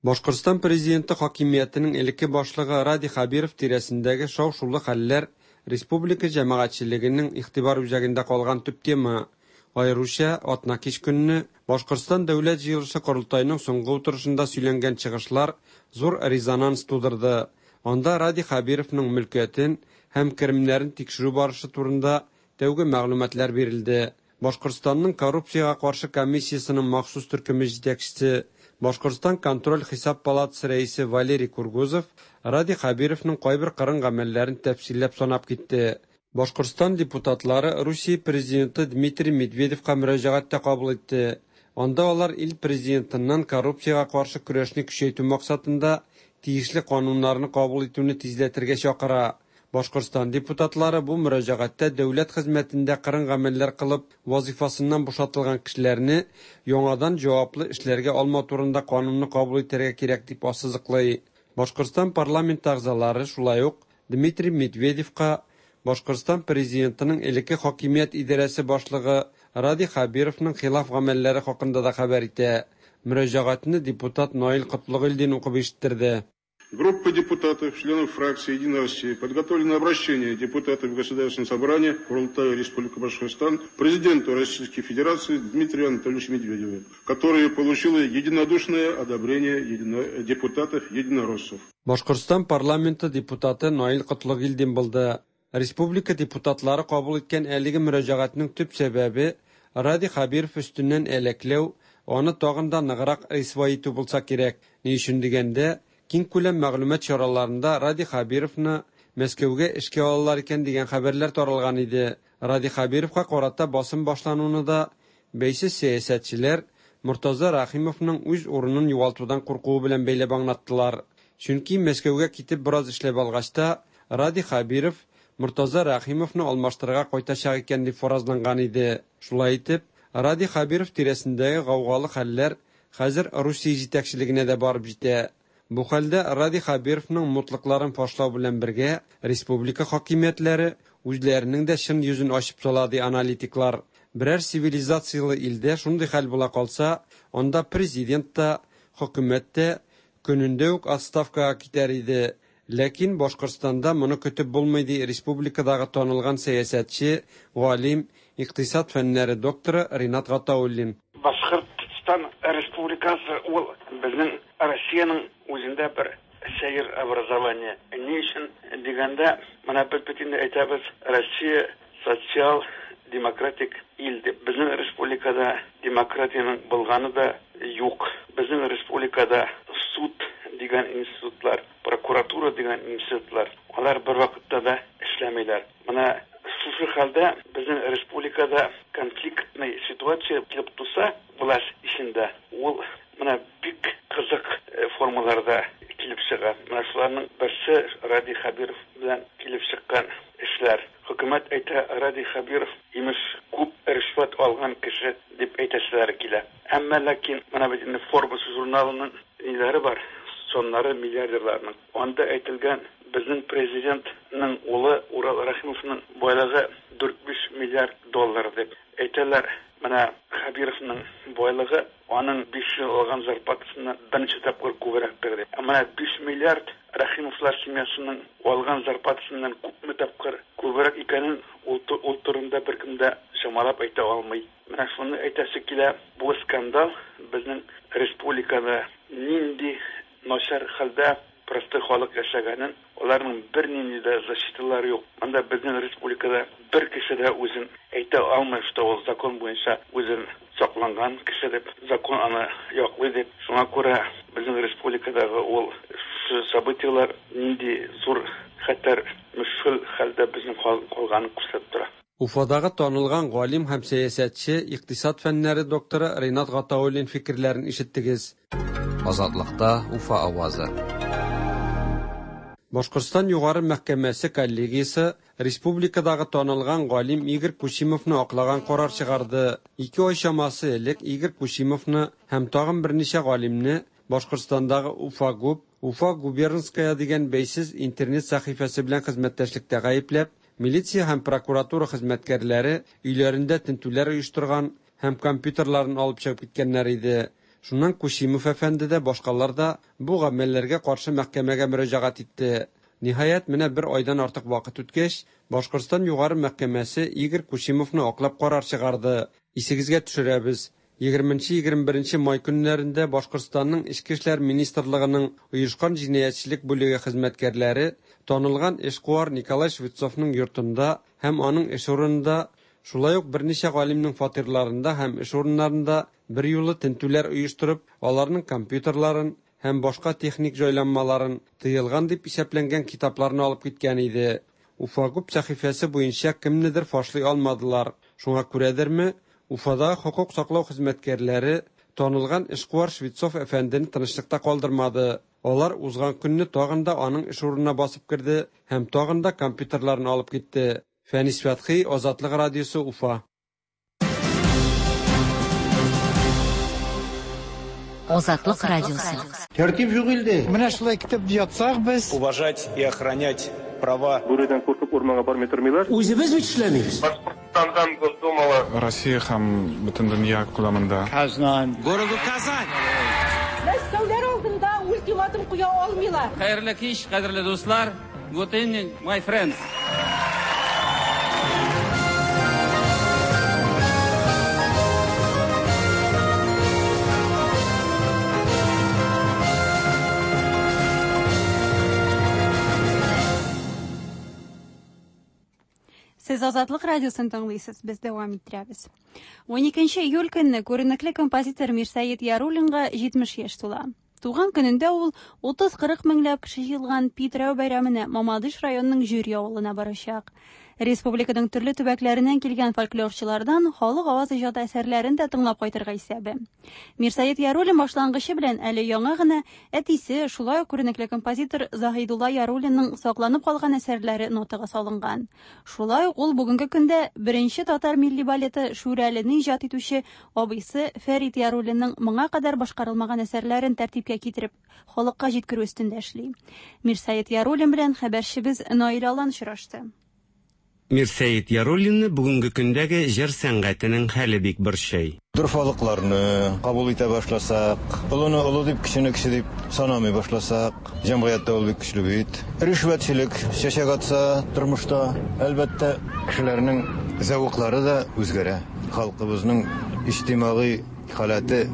Башкортстан президенты хакимиятенең элекке башлыгы Радий Хәбиров тирәсендәге шау-шулы хәлләр республика җәмәгатьчелегенең игътибар үзәгендә калган төп тема. Аеруча, атнакич көнне Башкортстан Дәүләт җыелышы-Корылтайның соңгы утырышында сөйләнгән чыгышлар зур резонанс тудырды. Анда Радий Хәбировның мөлкәтен һәм керемнәрен тикшерү барышы турында тәүге мәгълүматлар бирелде. Башкортстанның коррупциягә каршы комиссиясенең махсус төркеме җитәкчесе, Башкортстан контроль-хисап палатасы рәисе Валерий Кургузов Радий Хәбировның кайбер кырын гамәлләрен тәфсилләп санап китте. Башкортстан депутатлары Русия Президенты Дмитрий Медведевка мөрәҗәгать тә кабул итте. Анда алар ил Президентыннан коррупциягә каршы көрәшне көчәйтү максатында тиешле кануннарны кабул итүне тизләтергә чакыра. Башкортстан депутатлары бу мөрәҗәгатьтә дәүләт хезмәтендә кырын гамәлләр кылып вазыйфасыннан бушатылган кешеләрне яңадан җаваплы эшләргә алмау турында канунны кабул итәргә кирәк дип ассызыклый. Башкортстан парламенты әгъзалары шулай ук Дмитрий Медведевка Башкортстан Президентының элекке хакимият идарәсе башлыгы Радий Хәбировның хилаф гамәлләре хакында да хәбәр итә. Мөрәҗәгатьне депутат Наил Котлыгыйльдин укып ишеттерде. Группа депутатов, членов фракции «Единая Россия» подготовлено обращение депутатов Государственного собрания Курултая Республики Башкортостан президенту Российской Федерации Дмитрию Анатольевичу Медведеву, которое получило единодушное одобрение депутатов-единороссов. Башкортстан парламенты депутаты Наил Котлыгилдин булды. Республика депутатлары кабул иткән әлеге мөрәҗәгатьнең төп сәбәбе Радий Хәбиров өстеннән әләкләү, аны тагын да ныграк рисвай итү булса кирәк. Ни өчен дигәндә, киңкүләм мәгълүмат чараларында Радий Хәбировны Мәскәүгә эшкә алалар икән дигән хәбәрләр таралган иде. Радий Хәбировка карата басым башлануны да бәйсез сәясәтчеләр Мортаза Рәхимовның үз урынын югалтудан куркуы белән бәйләп аңлаттылар. Чөнки Мәскәүгә китеп бераз эшләп алгач та, Радий Хәбиров Мортаза Рәхимовны алмаштырырга кайтачак икән дип фаразланган иде. Шулай итеп, Радий Хәбиров тирәсендәге гаугалы хәлләр хәзер Русия җитәкчелегенә дә барып җитә. Бу хәлдә Радий Хәбировның мутлыкларын фашлау белән бергә республика хакимиятләре үзләренең дә чын йөзен ачып сала, ди аналитиклар. Берәр цивилизацияле илдә шундый хәл була калса, анда президент та, хөкүмәт тә көнендә үк отставкага китәр иде. Ләкин Башкортстанда моны көтеп булмый, ди республикадагы танылган сәясәтче, галим, икътисад фәннәре докторы Ринат Гатауллин. Башкортстан Республикасы ул безнең Россиянең үзендә бер сәер образование. Ни өчен дигәндә, менә без бит инде әйтәбез, Россия социал демократик ил дип. Безнең республикада демократиянең булганы да юк. Безнең республикада суд дигән институтлар, прокуратура дигән институтлар, алар бервакытта да эшләмиләр. Менә шушы хәлдә безнең республикада конфликтный ситуация килеп туса, власть эчендә, ул менә бик кызык формаларда килеп чыга. Менә шуларның берсе Радий Хәбиров белән килеп чыккан эшләр. Хөкүмәт әйтә, Радий Хәбиров, имеш, күп ришвәт алган кеше дип әйтәселәре килә. Әмма ләкин менә бит инде Forbes журналының ниләре бар, саннары миллиардерларның. Анда әйтелгән, безнең президентның улы Урал Рәхимовның байлыгы 4-5 миллиард доллар дип. Әйтәләр, менә Хәбировның байлыгы аның 5 ел алган зарплатасыннан берничә тапкыр күбрәктер дип. Ә менә 5 миллиард Рәхимовлар семьясының алган зарплатасыннан күпме тапкыр күбрәк икәнен ул, ул турында беркем дә чамалап әйтә алмый. Менә шуны әйтәсе килә, бу скандал безнең республикада нинди начар хәлдә простой халык яшәгәнен, аларның бернинди дә защиталары юк. Монда безнең республикада бер кеше дә үзен әйтә алмый, что ул закон буенча үзен сакланган кеше дип, закон аны яклый дип. Шуңа күрә безнең республикадагы ул событияләр нинди зур хәтәр мөшкел хәлдә безнең халык калганын күрсәтеп тора. Уфадагы танылган галим һәм сәясәтче, икътисад фәннәре докторы Ринат Гатауллин фикерләрен ишеттегез. Азатлыкта Уфа авазы. Башкортстан Югары мәхкәмәсе коллегиясе республикадагы танылган галим Игорь Кучимовны аклаган карар чыгарды. Ике ай чамасы элек Игорь Кучимовны һәм тагын берничә галимне Башкортстандагы Уфагуб, Уфа губернская дигән бәйсез интернет сәхифәсе белән хезмәттәшлектә гаепләп, милиция һәм прокуратура хезмәткәрләре өйләрендә тентүләр оештырган һәм компьютерларын алып чыгып киткәннәр иде. Шуннан Кучимов әфәнде дә, башкалар да бу гамәлләргә каршы мәхкәмәгә мөрәҗәгать итте. Ниһаять, менә бер айдан артык вакыт үткәч, Башкортстан Югары мәхкәмәсе Игорь Кучимовны аклап карар чыгарды. Исегезгә төшерәбез, 20-21 май көннәрендә Башкортстанның Эчке эшләр министрлыгының оешкан җинаятьчелек бүлеге хезмәткәрләре танылган эшкуар Николай Швецовның йортында һәм аның эш урынында, шулай ук берничә галимнең фатирларында һәм эш урыннарында берьюлы тентүләр оештырып, аларның компьютерларын һәм башка техник җайланмаларын, тыелган дип исәпләнгән китапларны алып киткән иде. Уфагуб сәхифәсе буенча кемнедер фашлый алмадылар. Шуңа күрәдерме, Уфадагы хокук саклау хезмәткәрләре танылган эшкуар Швецов әфәндене тынычлыкта калдырмады. Алар узган көнне тагын да аның эш урынына басып керде һәм тагын да компьютерларын алып китте. Фәнис Фәтхи, Азатлык радиосы, Уфа. Азатлык радиосы. Тәртип юк илдә. Менә шулай көтеп ятсак без. Уважать и охранять права. Бүредән куркып урманга бармый тормыйлар. Үзебез бит эшләмибез. Башкортстандан Госдумала. Россия һәм бөтен дөнья күләмендә. Казан. Городу Казань. Мәскәүләр алдында ул ультиматум куя алмыйлар. Хәерле кич, кадерле дуслар. Good evening, my friends. Сез Азатлык радиосын тыңлыйсыз, без дәвам иттерәбез. 12 июль көнне күренекле композитор Мирсәет Яруллинга 70 яшь тула. Туган көнендә ул 30-40 меңләп кеше җыелган Питрау бәйрәменә Мамадыш районының Җөри авылына барачак. Республиканың төрле төбәкләреннән килгән фольклорчылардан халык аваз иҗаты әсәрләрен дә тыңлап кайтырга исәбе. Мирсәет Яруллин башлангычы белән әле яңа гына әтисе, шулай ук күренекле композитор Заһидулла Яруллинның сакланып калган әсәрләре нотага салынган. Шулай ук ул бүгенге көндә беренче татар милли балеты Шүрәлене иҗат итүче абыйсы Фәрит Яруллинның моңа кадәр башкарылмаган әсәрләрен тәртипкә китереп, халыкка җиткерү өстендә эшли. Мирсәет Яруллин белән хәбәрчебез Наил Алан очрашты. Мирсәет Яруллинны бүгенге көндәге җыр сәнгатенең хәле бик борчый. Дорфалыкларны кабул итә башласак, олыны олы дип, кечене кече дип санамый башласак, җәмгыятьтә ул бик көчле бит. Ришвәтчелек чәчәк атса тормышта, әлбәттә, кешеләрнең зәвыклары да үзгәрә. Халкыбызның иҗтимагый халәте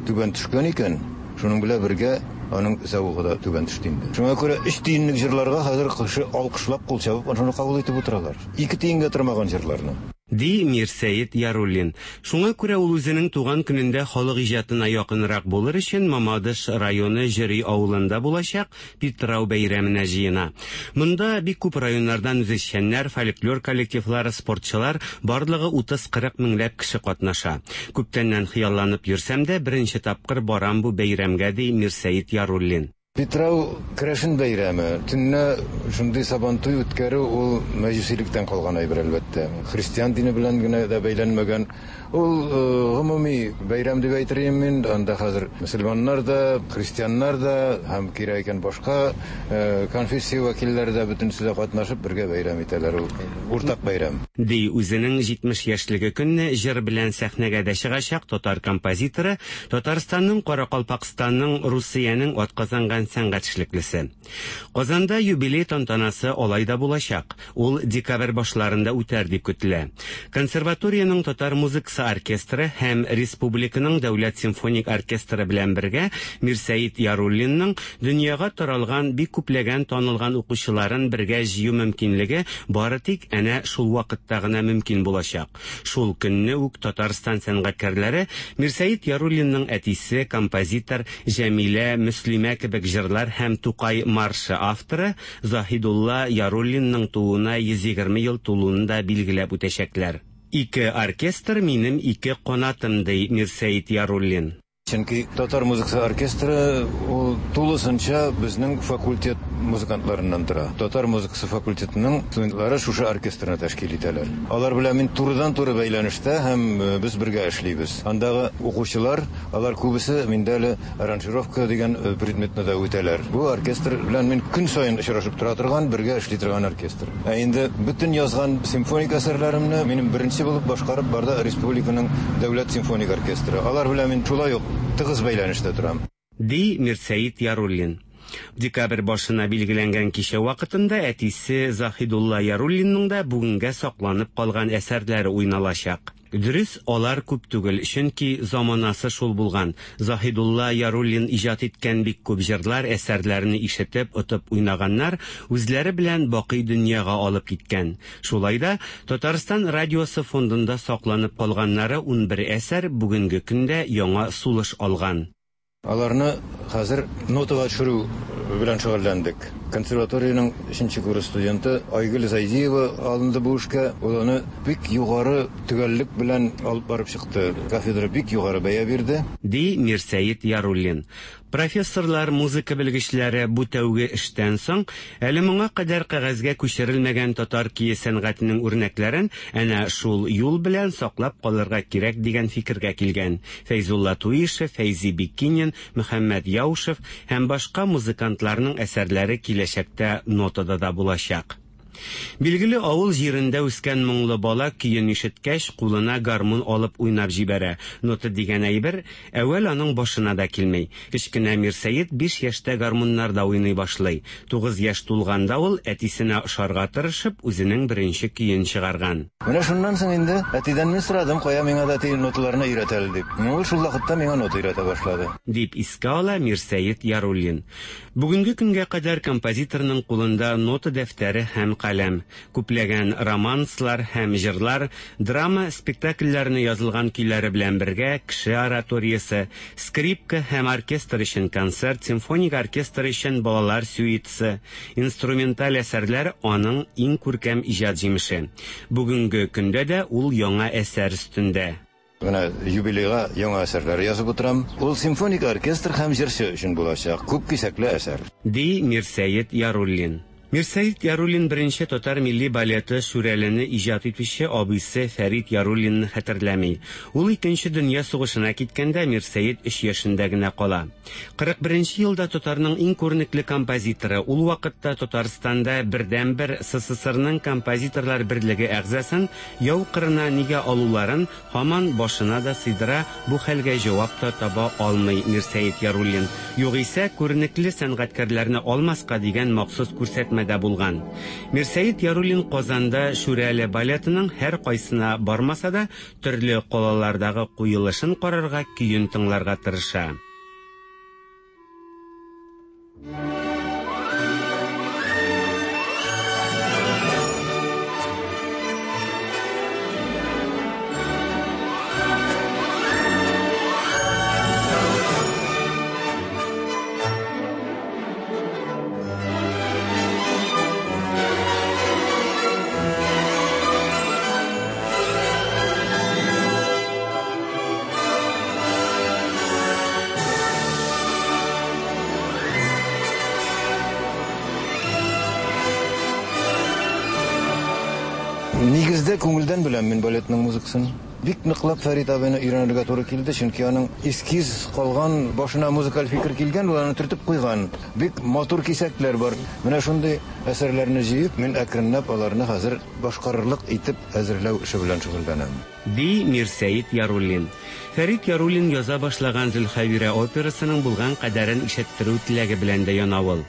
түбән төшкән икән, шуның белән бергә аның зәвыгы да түбән төште инде. Шуңа күрә өч тиенлек җырларга хәзер кеше алкышлап, кул чабып, шуны кабул итеп утыралар. Ике тиенгә тормаган җырларны. Ди Мирсәет Яруллин. Шуңа күрә ул үзенең туган көнендә халык иҗатына якынрак булыр өчен Мамадыш районы Җөри авылында булачак Питрау бәйрәменә җыена. Монда бик күп районнардан үзешчәннәр, фольклор коллективлары, спортчылар, барлыгы 30-40 меңләп кеше катнаша. Күптәннән хыялланып йөрсәм дә, беренче тапкыр барам бу бәйрәмгә, ди Мирсәет Яруллин. Питрау керәшен бәйрәме. Төнлә шундый Сабантуй үткәрү ул мәҗүсилектән калган әйбер, әлбәттә. Христиан дине белән генә дә бәйләнмәгән. Ул гомуми бәйрәм дип әйтер идем мин. Анда хәзер мөселманнар да, христианнар да һәм кирәк икән башка конфессия вәкилләре дә бөтенесе дә катнашып бергә бәйрәм итәләр. Ул уртак бәйрәм. Ди үзенең 70 яшьлеге көнне җыр белән сәхнәгә дә чыгачак татар композиторы, Татарстанның, Каракалпакстанның, Русиянең атказанган сәнгать эшлеклесе. Казанда юбилей тантанасы алай да булачак. Ул декабрь башларында үтәр дип көтелә. Консерваториянең татар музыкасы оркестры һәм республиканың дәүләт симфоник оркестры белән бергә Мирсәет Яруллинның дөньяга таралган бик күпләгән танылган укучыларын бергә җыю мөмкинлеге бары тик әнә шул вакытта гына мөмкин булачак. Шул көнне үк Татарстан сәнгатькәрләре Мирсәет Яруллинның әтисе, композитор Җәмилә, Мөслимә кебек җырлар һәм Тукай маршы авторы Заһидулла Яруллинның тууына 120 ел тулуын да билгеләп үтәчәкләр. Ике оркестр минем ике канатым, ди Мирсәет Яруллин. Чөнки татар музыкасы оркестры ул тулысынча безнең факультет музыкантларыннан тора. Татар музыкасы факультетының студентлары шушы оркестрны тәшкил итәләр. Алар белән мин турыдан-туры бәйләнештә һәм без бергә эшлибез. Андагы укучылар, алар күбесе миндә әле аранжировка дигән предметны да үтәләр. Бу оркестр белән мин көн саен очрашып тора торган, бергә эшли торган оркестр. Ә инде бөтен язган симфоник әсәрләремне минем беренче булып башкарып барды республиканың дәүләт симфоник оркестры. Алар белән мин шулай ук тыгыз бәйләнештә торам. Ди Мирсәет Яруллин. Декабрь башына билгеләнгән кичә вакытында әтисе Заһидулла Яруллинның да бүгенгә сакланып калган әсәрләре уйналачак. Дөрес, алар күп түгел, чөнки заманасы шул булган. Заһидулла Яруллин иҗат иткән бик күп җырлар, әсәрләрне ишетеп, отып уйнаганнар, үзләре белән бакый дөньяга алып киткән. Шулай да, Татарстан радиосы фондында сакланып калганнары 11 әсәр бүгенге көндә яңа сулыш алган. Аларны хәзер нотага төшерү белән шөгыльләндек. Консерваториянең өченче курс студенты Айгөл Зайдиева алынды бу эшкә. Ул аны бик югары төгәллек белән алып барып чыкты. Кафедра бик югары бәя бирде. Ди Мирсәет Яруллин. Профессорлар, музыка белгечләре бу тәүге эштән соң, әле моңа кадәр кәгазьгә күчерелмәгән татар кие сәнгатенең үрнәкләрен әнә шул юл белән саклап калырга кирәк дигән фикергә килгән. Фәйзулла Туишев, Фәйзи Биккинин, Мөхәммәт Яушев һәм башка музыкантларның әсәрләре киләчәктә нотада да булачак. Билгеле, авыл җирендә үскән моңлы бала көен ишеткәч, кулына гармун алып уйнап җибәрә. Нота дигән әйбер әүвәл аның башына да килми. Кечкенә Мирсәет биш яшьтә гармуннарда уйный башлый. Тугыз яшь тулганда ул, әтисенә ошарга тырышып, үзенең беренче көен чыгарган. Менә шуннан соң инде әтидән мин сорадым, кая миңа да әти ноталарны өйрәт әле дип. Ул шул вакытта миңа нота өйрәтә башлады. Дип искә ала Мирсәет Яруллин. Бүгенге көнгә кадәр композиторның кулында нота дәфтәре һәм каләм. Күпләгән романслар һәм җырлар, драма спектакльләренә язылган көйләре белән бергә Кеше ораториясе, скрипка һәм оркестр өчен концерт, симфоник оркестр өчен балалар сюитасы, инструменталь әсәрләр аның иң күркәм иҗат җимеше. Бүгенге көндә дә ул яңа әсәр өстендә. Менә юбилейга яңа әсәрләр язып утырам. Ул симфоник оркестр һәм җырчы өчен булачак, күп кисәкле әсәр. Ди Мирсәет Яруллин. Мирсәет Яруллин беренче татар милли балеты Шүрәлене иҗат итүче абыйсы Фәрит Яруллинны хәтерләми. Ул Икенче дөнья сугышына киткәндә Мирсәет өч яшендә генә кала. 41 нче елда татарның иң күренекле композиторы, ул вакытта Татарстанда бердәнбер СССРның композиторлар берлеге әгъзасын яу кырына нигә алуларын Һаман башына да сыйдыра, бу хәлгә җавап та таба алмый Мирсәет Яруллин. Югыйсә, күренекле сәнгатькәрләрне алмаска дигән махсус күрсәтмә дә булган. Мирсәет Яруллин Казанда Шүрәле балетының һәркайсына бармаса да, төрле калалардагы куелышын карарга, көен тыңларга тырыша. Нигездә күңелдән беләм мин балетның музыкасын. Бик ныклап Фәрит абыйны өйрәнергә туры килде, чөнки аның эскиз калган, башына музыкаль фикер килгән, ул аны төртеп куйган. Бик матур кисәкләр бар. Менә шундый әсәрләрне җыеп, мин әкренләп аларны хәзер башкарырлык итеп әзерләү эше белән шөгыльләнәм. Ди Мирсәет Яруллин. Фәрит Яруллин яза башлаган Зөлхәбирә операсының булган кадәрен ишеттерү теләге белән дә яна ул.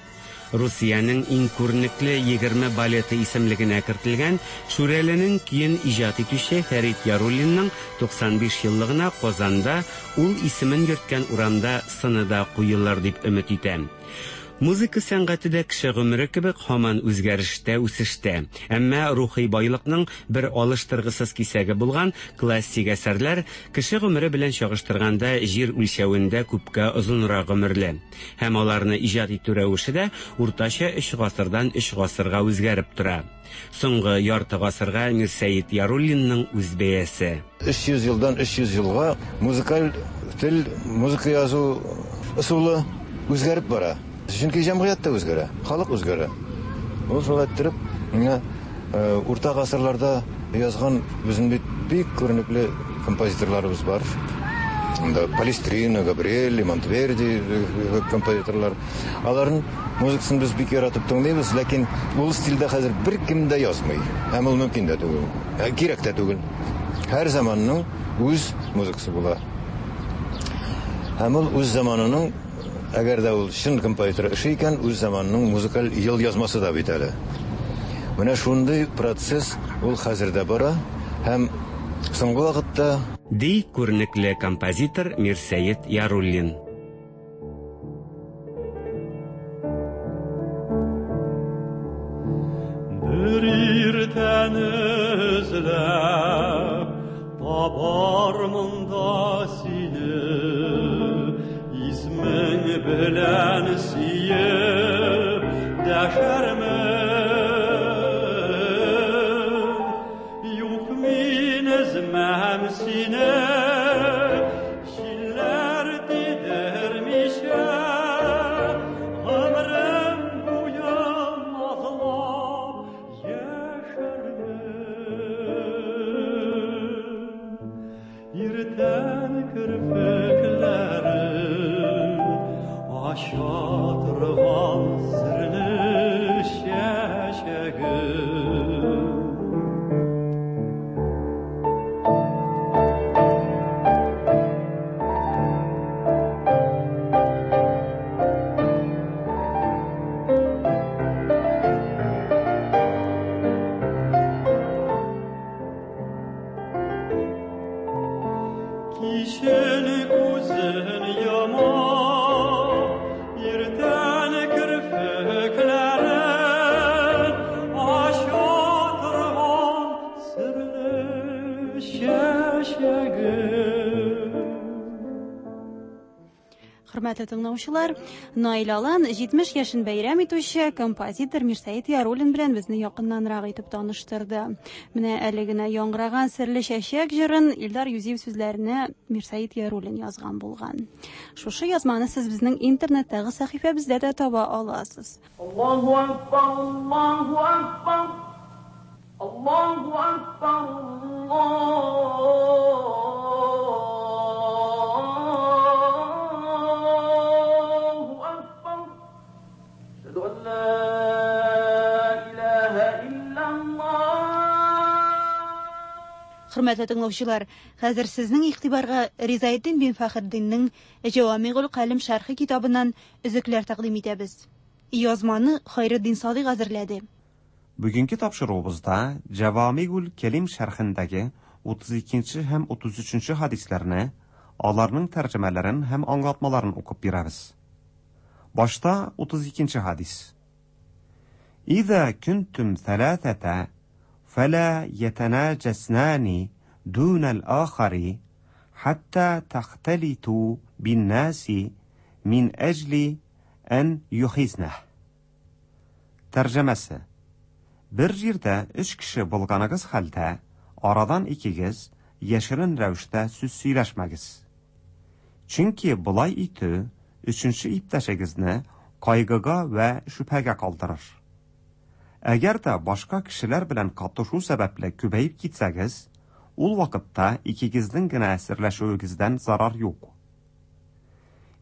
Русиянең иң күренекле 20 балеты исемлегенә кертелгән Шүрәленең көен иҗат итүче Фәрит Яруллинның 95 еллыгына Казанда ул исемен йөрткән урамда сыны да куелыр дип өмет итәм. Музыка сәнгате дә кеше гомере кебек һаман үзгәрештә, үсештә. Әмма рухи байлыкның бер алыштыргысыз кисәге булган классик әсәрләр кеше гомере белән чагыштырганда җир үлчәвендә күпкә озынрак гомерле. Һәм аларны иҗат итү рәвеше дә уртача өч гасырдан өч гасырга үзгәреп тора. Соңгы ярты гасырга Мирсәет Яруллинның үз бәясе. 300 елдан 300 елга музыкаль тел, музыка язу ысулы үзгәреп бара. Чөнки җәмгыять тә үзгәрә, халык үзгәрә. Ул шулай иттереп, менә э, урта гасырларда язган безнең бит бик күренекле композиторларыбыз бар. Анда Палестрина, Габриэлли, Монтверди э, композиторлар. Аларның музыкасын без бик яратып тыңлыйбыз, ләкин ул стильдә хәзер беркем дә язмый. Һәм ул мөмкин дә түгел. Ә, кирәк тә түгел. Һәр заманның үз музыкасы була. Һәм ул үз заманының, әгәр дә ул чын композитор эше икән, үз заманының музыкаль елъязмасы да бит әле. Менә шундый процесс ул хәзер дә бара һәм соңгы вакытта Ди күренекле композитор Мирсәет Яруллин. Бер иртәне эзләп табармын да сине, Исмең белән сөеп дәшәрмен. Юк, мин өзмәм сине, җилләр тидермичә, гомерем буе назлап яшәрмен. Иртән керфекләрен ача торган серле чәчәгем. Кичен күзен йома, иртән керфекләрен ача торган серле чәчәгем. Хөрмәтле тыңлаучылар, Наил Алан 70 яшен бәйрәм итүче композитор Мирсәет Яруллин белән безне якыннанрак итеп таныштырды. Менә әле генә яңгыраган Серле чәчәк җырын Илдар Юзиев сүзләренә Мирсәет Яруллин язган булган. Шушы язманы сез безнең интернеттагы сәхифәбездә дә таба аласыз. Аллаһу акбар, Аллаһу акбар, Аллаһу акбар, Аллаһу акбар. Әшһәду ан ла илаһа иллаллаһ. Хөрмәтле тыңлаучылар, хәзер сезнең игътибарга Ризаэддин бин Фәхретдиннең Җәвамигул Калем шәрхе китабыннан өзекләр тәкъдим итәбез. Язманы Хайретдин Садыйк әзерләде. Бүгенге тапшыруыбызда Җәвамигул Кәлим шәрхендәге 32 нче һәм 33 нче хәдисләрне, аларның тәрҗемәләрен һәм аңлатмаларын укып бирәбез. Башта 32 нче хәдис. Иза көнтүм сәләсәтә фәлә ятәнәҗәснәни дунәл ахари хәтта тәхтәлиту биннәси мин әҗли ән юхизнәһ. Тәрҗемәсе. Бер җирдә өч кеше булганыгыз хәлдә, арадан икегез яшерен рәвештә сүз сөйләшмәгез. Чөнки болай итү өченче иптәшегезне кайгыга вә шөбһәгә калдырыр. Әгәр дә башка кешеләр белән катышу сәбәпле күбәеп китсәгез, ул вакытта икегезнең генә серләшүегездән зарар юк.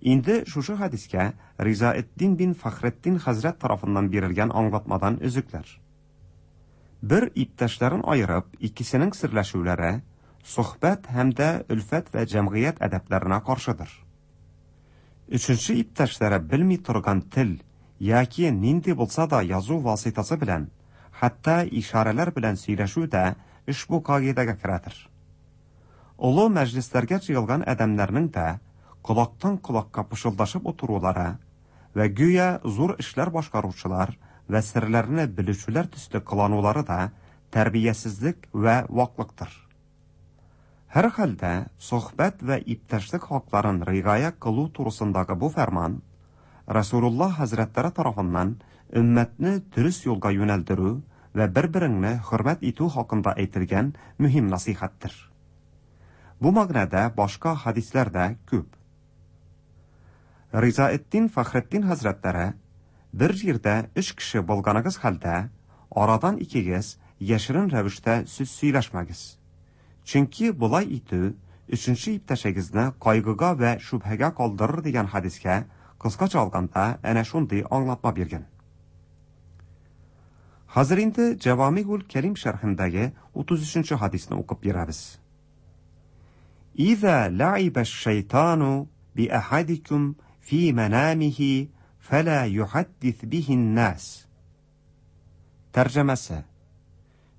Инде шушы хәдискә Ризаэтдин бин Фәхретдин хәзрәт тарафыннан бирелгән аңлатмадан өзекләр. Бер иптәшләрен аерып, икесенең серләшүләре сохбәт һәм дә өлфәт вә җәмгыять әдәпләренә каршыдыр. Өченче иптәшләре белми торган тел яки нинди булса да язу васыйтасы белән, хәтта ишарәләр белән сөйләшү дә ошбу кагыйдәгә керәдер. Олы мәҗлесләргә җыелган адәмнәрнең дә колактан колакка пышылдашып утырулары вә гүя зур эшләр башкаручылар вә серләрне белүчеләр төсле кыланулары да тәрбиясезлек вә ваклыктыр. Һәрхәлдә, сохбәт вә иптәшлек хакларын ригая кылу турысындагы бу фәрман Расулуллаһ хәзрәтләре тарафыннан өммәтне дөрес юлга юнәлдерү вә бер-береңне хөрмәт итү хакында әйтелгән мөһим насыйхәттер. Бу мәгънәдә башка хәдисләр дә күп. Ризаэтдин Фәхретдин хәзрәтләре, Бер җирдә өч кеше булганыгыз хәлдә, арадан икегез яшерен рәвештә сүз сөйләшмәгез. Чөнки болай итү өченче иптәшегезне кайгыга вә шөбһәгә калдырыр дигән хәдискә кыскача алганда әнә шундый аңлатма биргән. Хәзер инде Җәвамигул Кәрим шәрхендәге 33 нче хәдисне укып бирәбез. Иза лаибә шайтану би ахадикум фи манамихи фәлә юхаддис бихин нас. Тәрҗемәсе.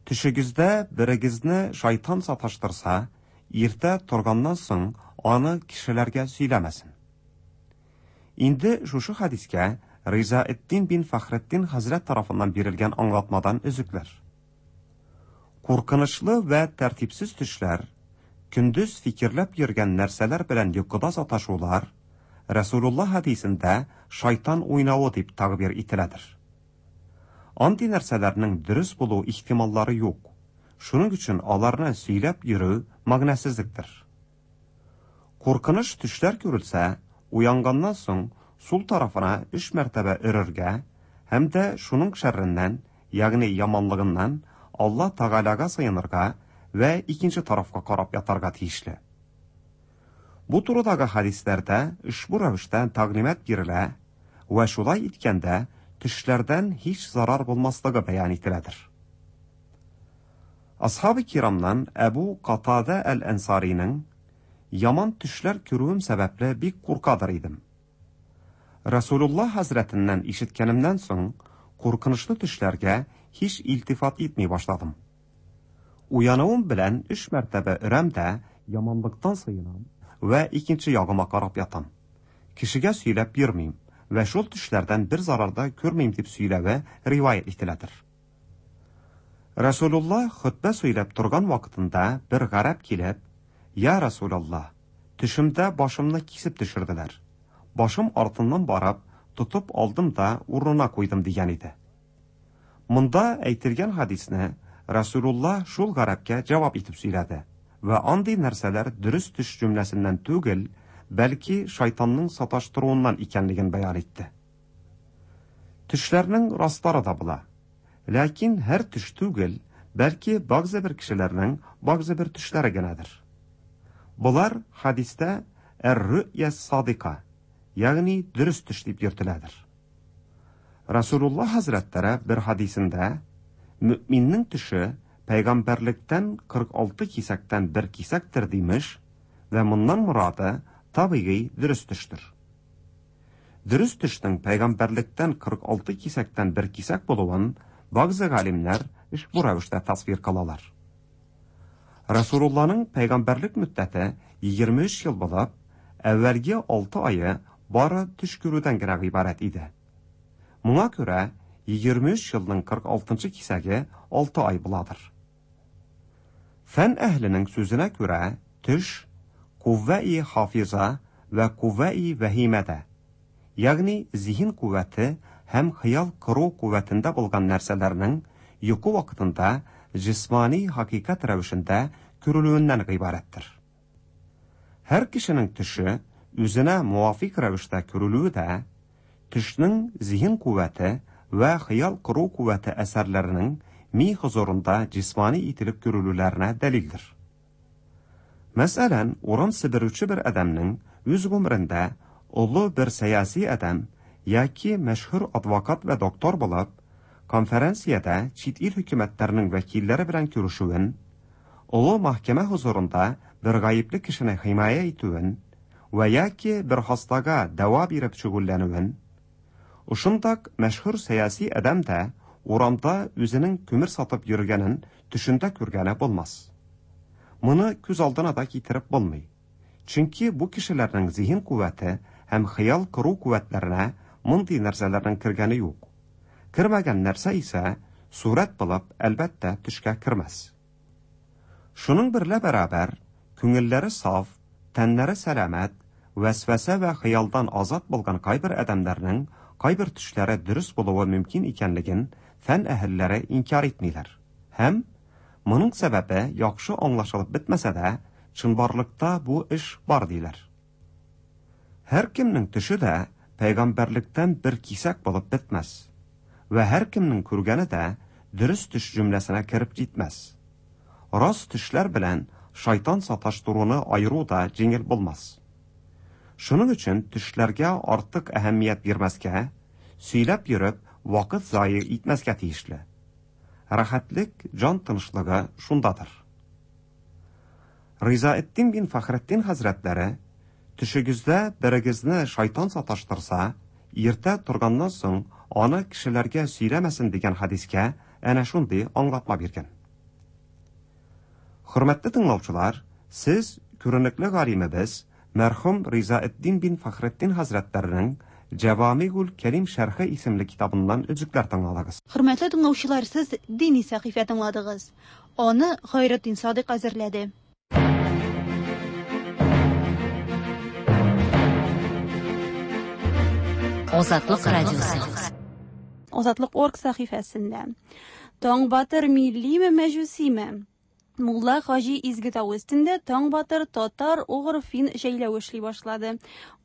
Төшегездә берегезне шайтан саташтырса, иртә торганнан соң аны кешеләргә сөйләмәсен. Инде шушы хәдискә Ризаэтдин бин Фәхретдин хәзрәт тарафыннан бирелгән аңлатмадан өзекләр. Куркынычлы вә тәртипсез төшләр, көндез фикерләп йөргән нәрсәләр белән йокыда саташулар Рәсүлулла хәдисендә шайтан уйнавы дип тәгъбир ителәдер. Андый нәрсәләрнең дөрес булу ихтималлары юк, шуның өчен аларны сөйләп йөрү мәгънәсезлектер. Куркыныч төшләр күрелсә, уянганнан соң сул тарафына өч мәртәбә өрергә һәм дә шуның шәрреннән, ягъни яманлыгыннан Алла Тәгаләгә сыенырга вә икенче тарафка карап ятарга тиешле. Бу турыдагы хәдисләрдә ошбу рәвештә тәгълимат бирелә вә шулай иткәндә төшләрдән һич зарар булмаслыгы бәян ителәдер. Асхабы кирамнан Әбу Катадә әл-Әнсариның Яман төшләр күрүем сәбәпле бик куркадыр идем. Расулулла хәзрәтеннән ишеткәнемнән соң, куркынычлы төшләргә һич илтифат итми башладым. Уянуым белән өч мәртәбә өрәм дә, яманлыктан сыенам вә икенче ягыма карап ятам. Кешегә сөйләп йөрмим вә шул төшләрдән бер зарар да күрмим дип сөйләве риваять ителәдер. Расулулла хөтбә сөйләп торган вакытында бер гарәп килеп, "Я Расулалла, төшемдә башымны кисеп төшерделәр. Башым артыннан барып, тотып алдым да урынына куйдым" дигән иде. Монда әйтелгән хадисне Расулулла шул гарәпкә җавап итеп сөйләде вә андый нәрсәләр дөрес төш җөмләсеннән түгел, бәлки шайтанның саташтыруыннан икәнлеген бәян итте. Төшләрнең раслары да була. Ләкин һәр төш түгел, бәлки бәгъзе бер кешеләрнең бәгъзе бер төшләре генәдер. Болар хадистә әр-рүъя садика, ягъни дөрес төш дип йөртеләдер. Расулулла хәзрәтләре бер хадисендә мөэминнең төше пәйгамбәрлектән 46 кисәктән бер кисәктер димеш вә моннан морады табигый дөрес төштер. Дөрес төшнең пәйгамбәрлектән 46 кисәктән бер кисәк булуын бәгъзе галимнәр ошбу рәвештә тасвир кылалар. Расулулланың пәйгамбәрлек мөддәте 23 ел булып, әүвәлге 6 ае бары төш күрүдән генә гыйбарәт иде. Моңа күрә 23 елның 46 кисәге 6 ай буладыр. Фән әһленең сүзенә күрә, төш куввәи хафиза вә куввәи вәһимәдә, ягъни зиһен куәте һәм хыял кору куәтендә булган нәрсәләрнең йокы вакытында җисмани хакыйкать рәвешендә күрелүеннән гыйбарәттер. Һәр кешенең төше үзенә муафик рәвештә күрелүе дә, төшнең зиһен куәте вә хыял кору куәте әсәрләренең ми хозурында җисмани ителеп күрелүләренә дәлилдер. Мәсәлән, урам себерүче бер адәмнең үз гомерендә олы бер сәяси адәм яки мәшһүр адвокат вә доктор булып, конференциядә чит ил хөкүмәтләренең вәкилләре белән күрешүен, олы мәхкәмә хозурында бер гаепле кешене химая итүен вә яки бер хастага дәва биреп шөгыльләнүен, ошындак мәшһүр сәяси адәм дә урамда үзенең күмер сатып йөргәнен төшендә күргәне булмас. Моны күз алдына да китереп булмый. Чөнки бу кешеләрнең зиһен куәте һәм хыял кору куәтләренә мондый нәрсәләрнең кергәне юк. Кермәгән нәрсә исә сурәт булып, әлбәттә, төшкә кермәс. Шуның берлә бәрабәр, күңелләре саф, тәннәре сәламәт, вәсвәсә вә хыялдан азат булган кайбер адәмнәрнең кайбер төшләре дөрес булуы мөмкин икәнлеген фән әһелләре инкяр итмиләр. Һәм моның сәбәбе яхшы аңлашылып бетмәсә дә, чынбарлыкта бу эш бар диләр. Һәркемнең төше дә пәйгамбәрлектән бер кисәк булып бетмәс. Вә һәркемнең күргәне дә дөрес төш җөмләсенә кереп җитмәс. Рас төшләр белән шайтан саташтыруны аеру да җиңел булмас. Шуның өчен төшләргә артык әһәмият бирмәскә, сөйләп йөреп, вакыт зая итмәскә тиешле. Рәхәтлек, җан тынычлыгы шундадыр. Ризаэддин бин Фәхретдин хәзрәтләре, төшегездә берегезне шайтан саташтырса, иртә торганнан соң аны кешеләргә сөйләмәсен дигән хадискә әнә шундый аңлатма биргән. Хөрмәтле тыңлаучылар, сез күренекле галимебез мәрхүм Ризаэддин бин Фәхретдин хәзрәтләренең Җәвамигул Кәрим шәрхе исемле китабыннан өзекләр тыңладыгыз. Хөрмәтле тыңлаучылар, сез дини сәхифә тыңладыгыз. Аны Гайретдин Садыйк әзерләде. Азатлык радиосы. Азатлык орг сәхифәсендә. Таңбатыр миллиме, мәҗүсиме? Мулла Хаҗи Изге тау өстендә Таңбатыр татар угыр фин җәйләве эшли башлады.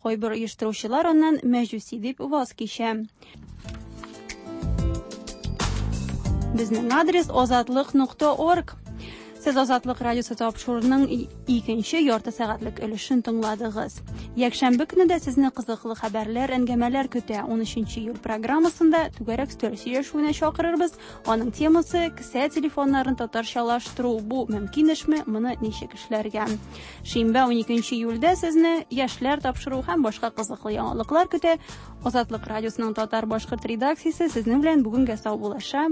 Кайбер оештыручылар аннан мәҗүси дип ваз кичә. Безнең адрес азатлык.орг. Сез Азатлык радиосы тапшыруының икенче ярты сәгатьлек өлешен тыңладыгыз. Якшәмбе көне дә сезне кызыклы хәбәрләр, әңгәмәләр көтә. 13 июль программасында түгәрәк өстәл сөйләшүенә чакырырбыз. Аның темасы кесә телефоннарын татарчалаштыру. Бу мөмкин эшме? Моны ничек эшләргә? Шимбә 12 июльдә сезне яшьләр тапшыру һәм башка кызыклы яңалыклар көтә. Азатлык радиосының татар-башкорт редакциясе сезнең белән бүгенгә саубуллаша.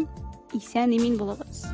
Исән имин булыгыз.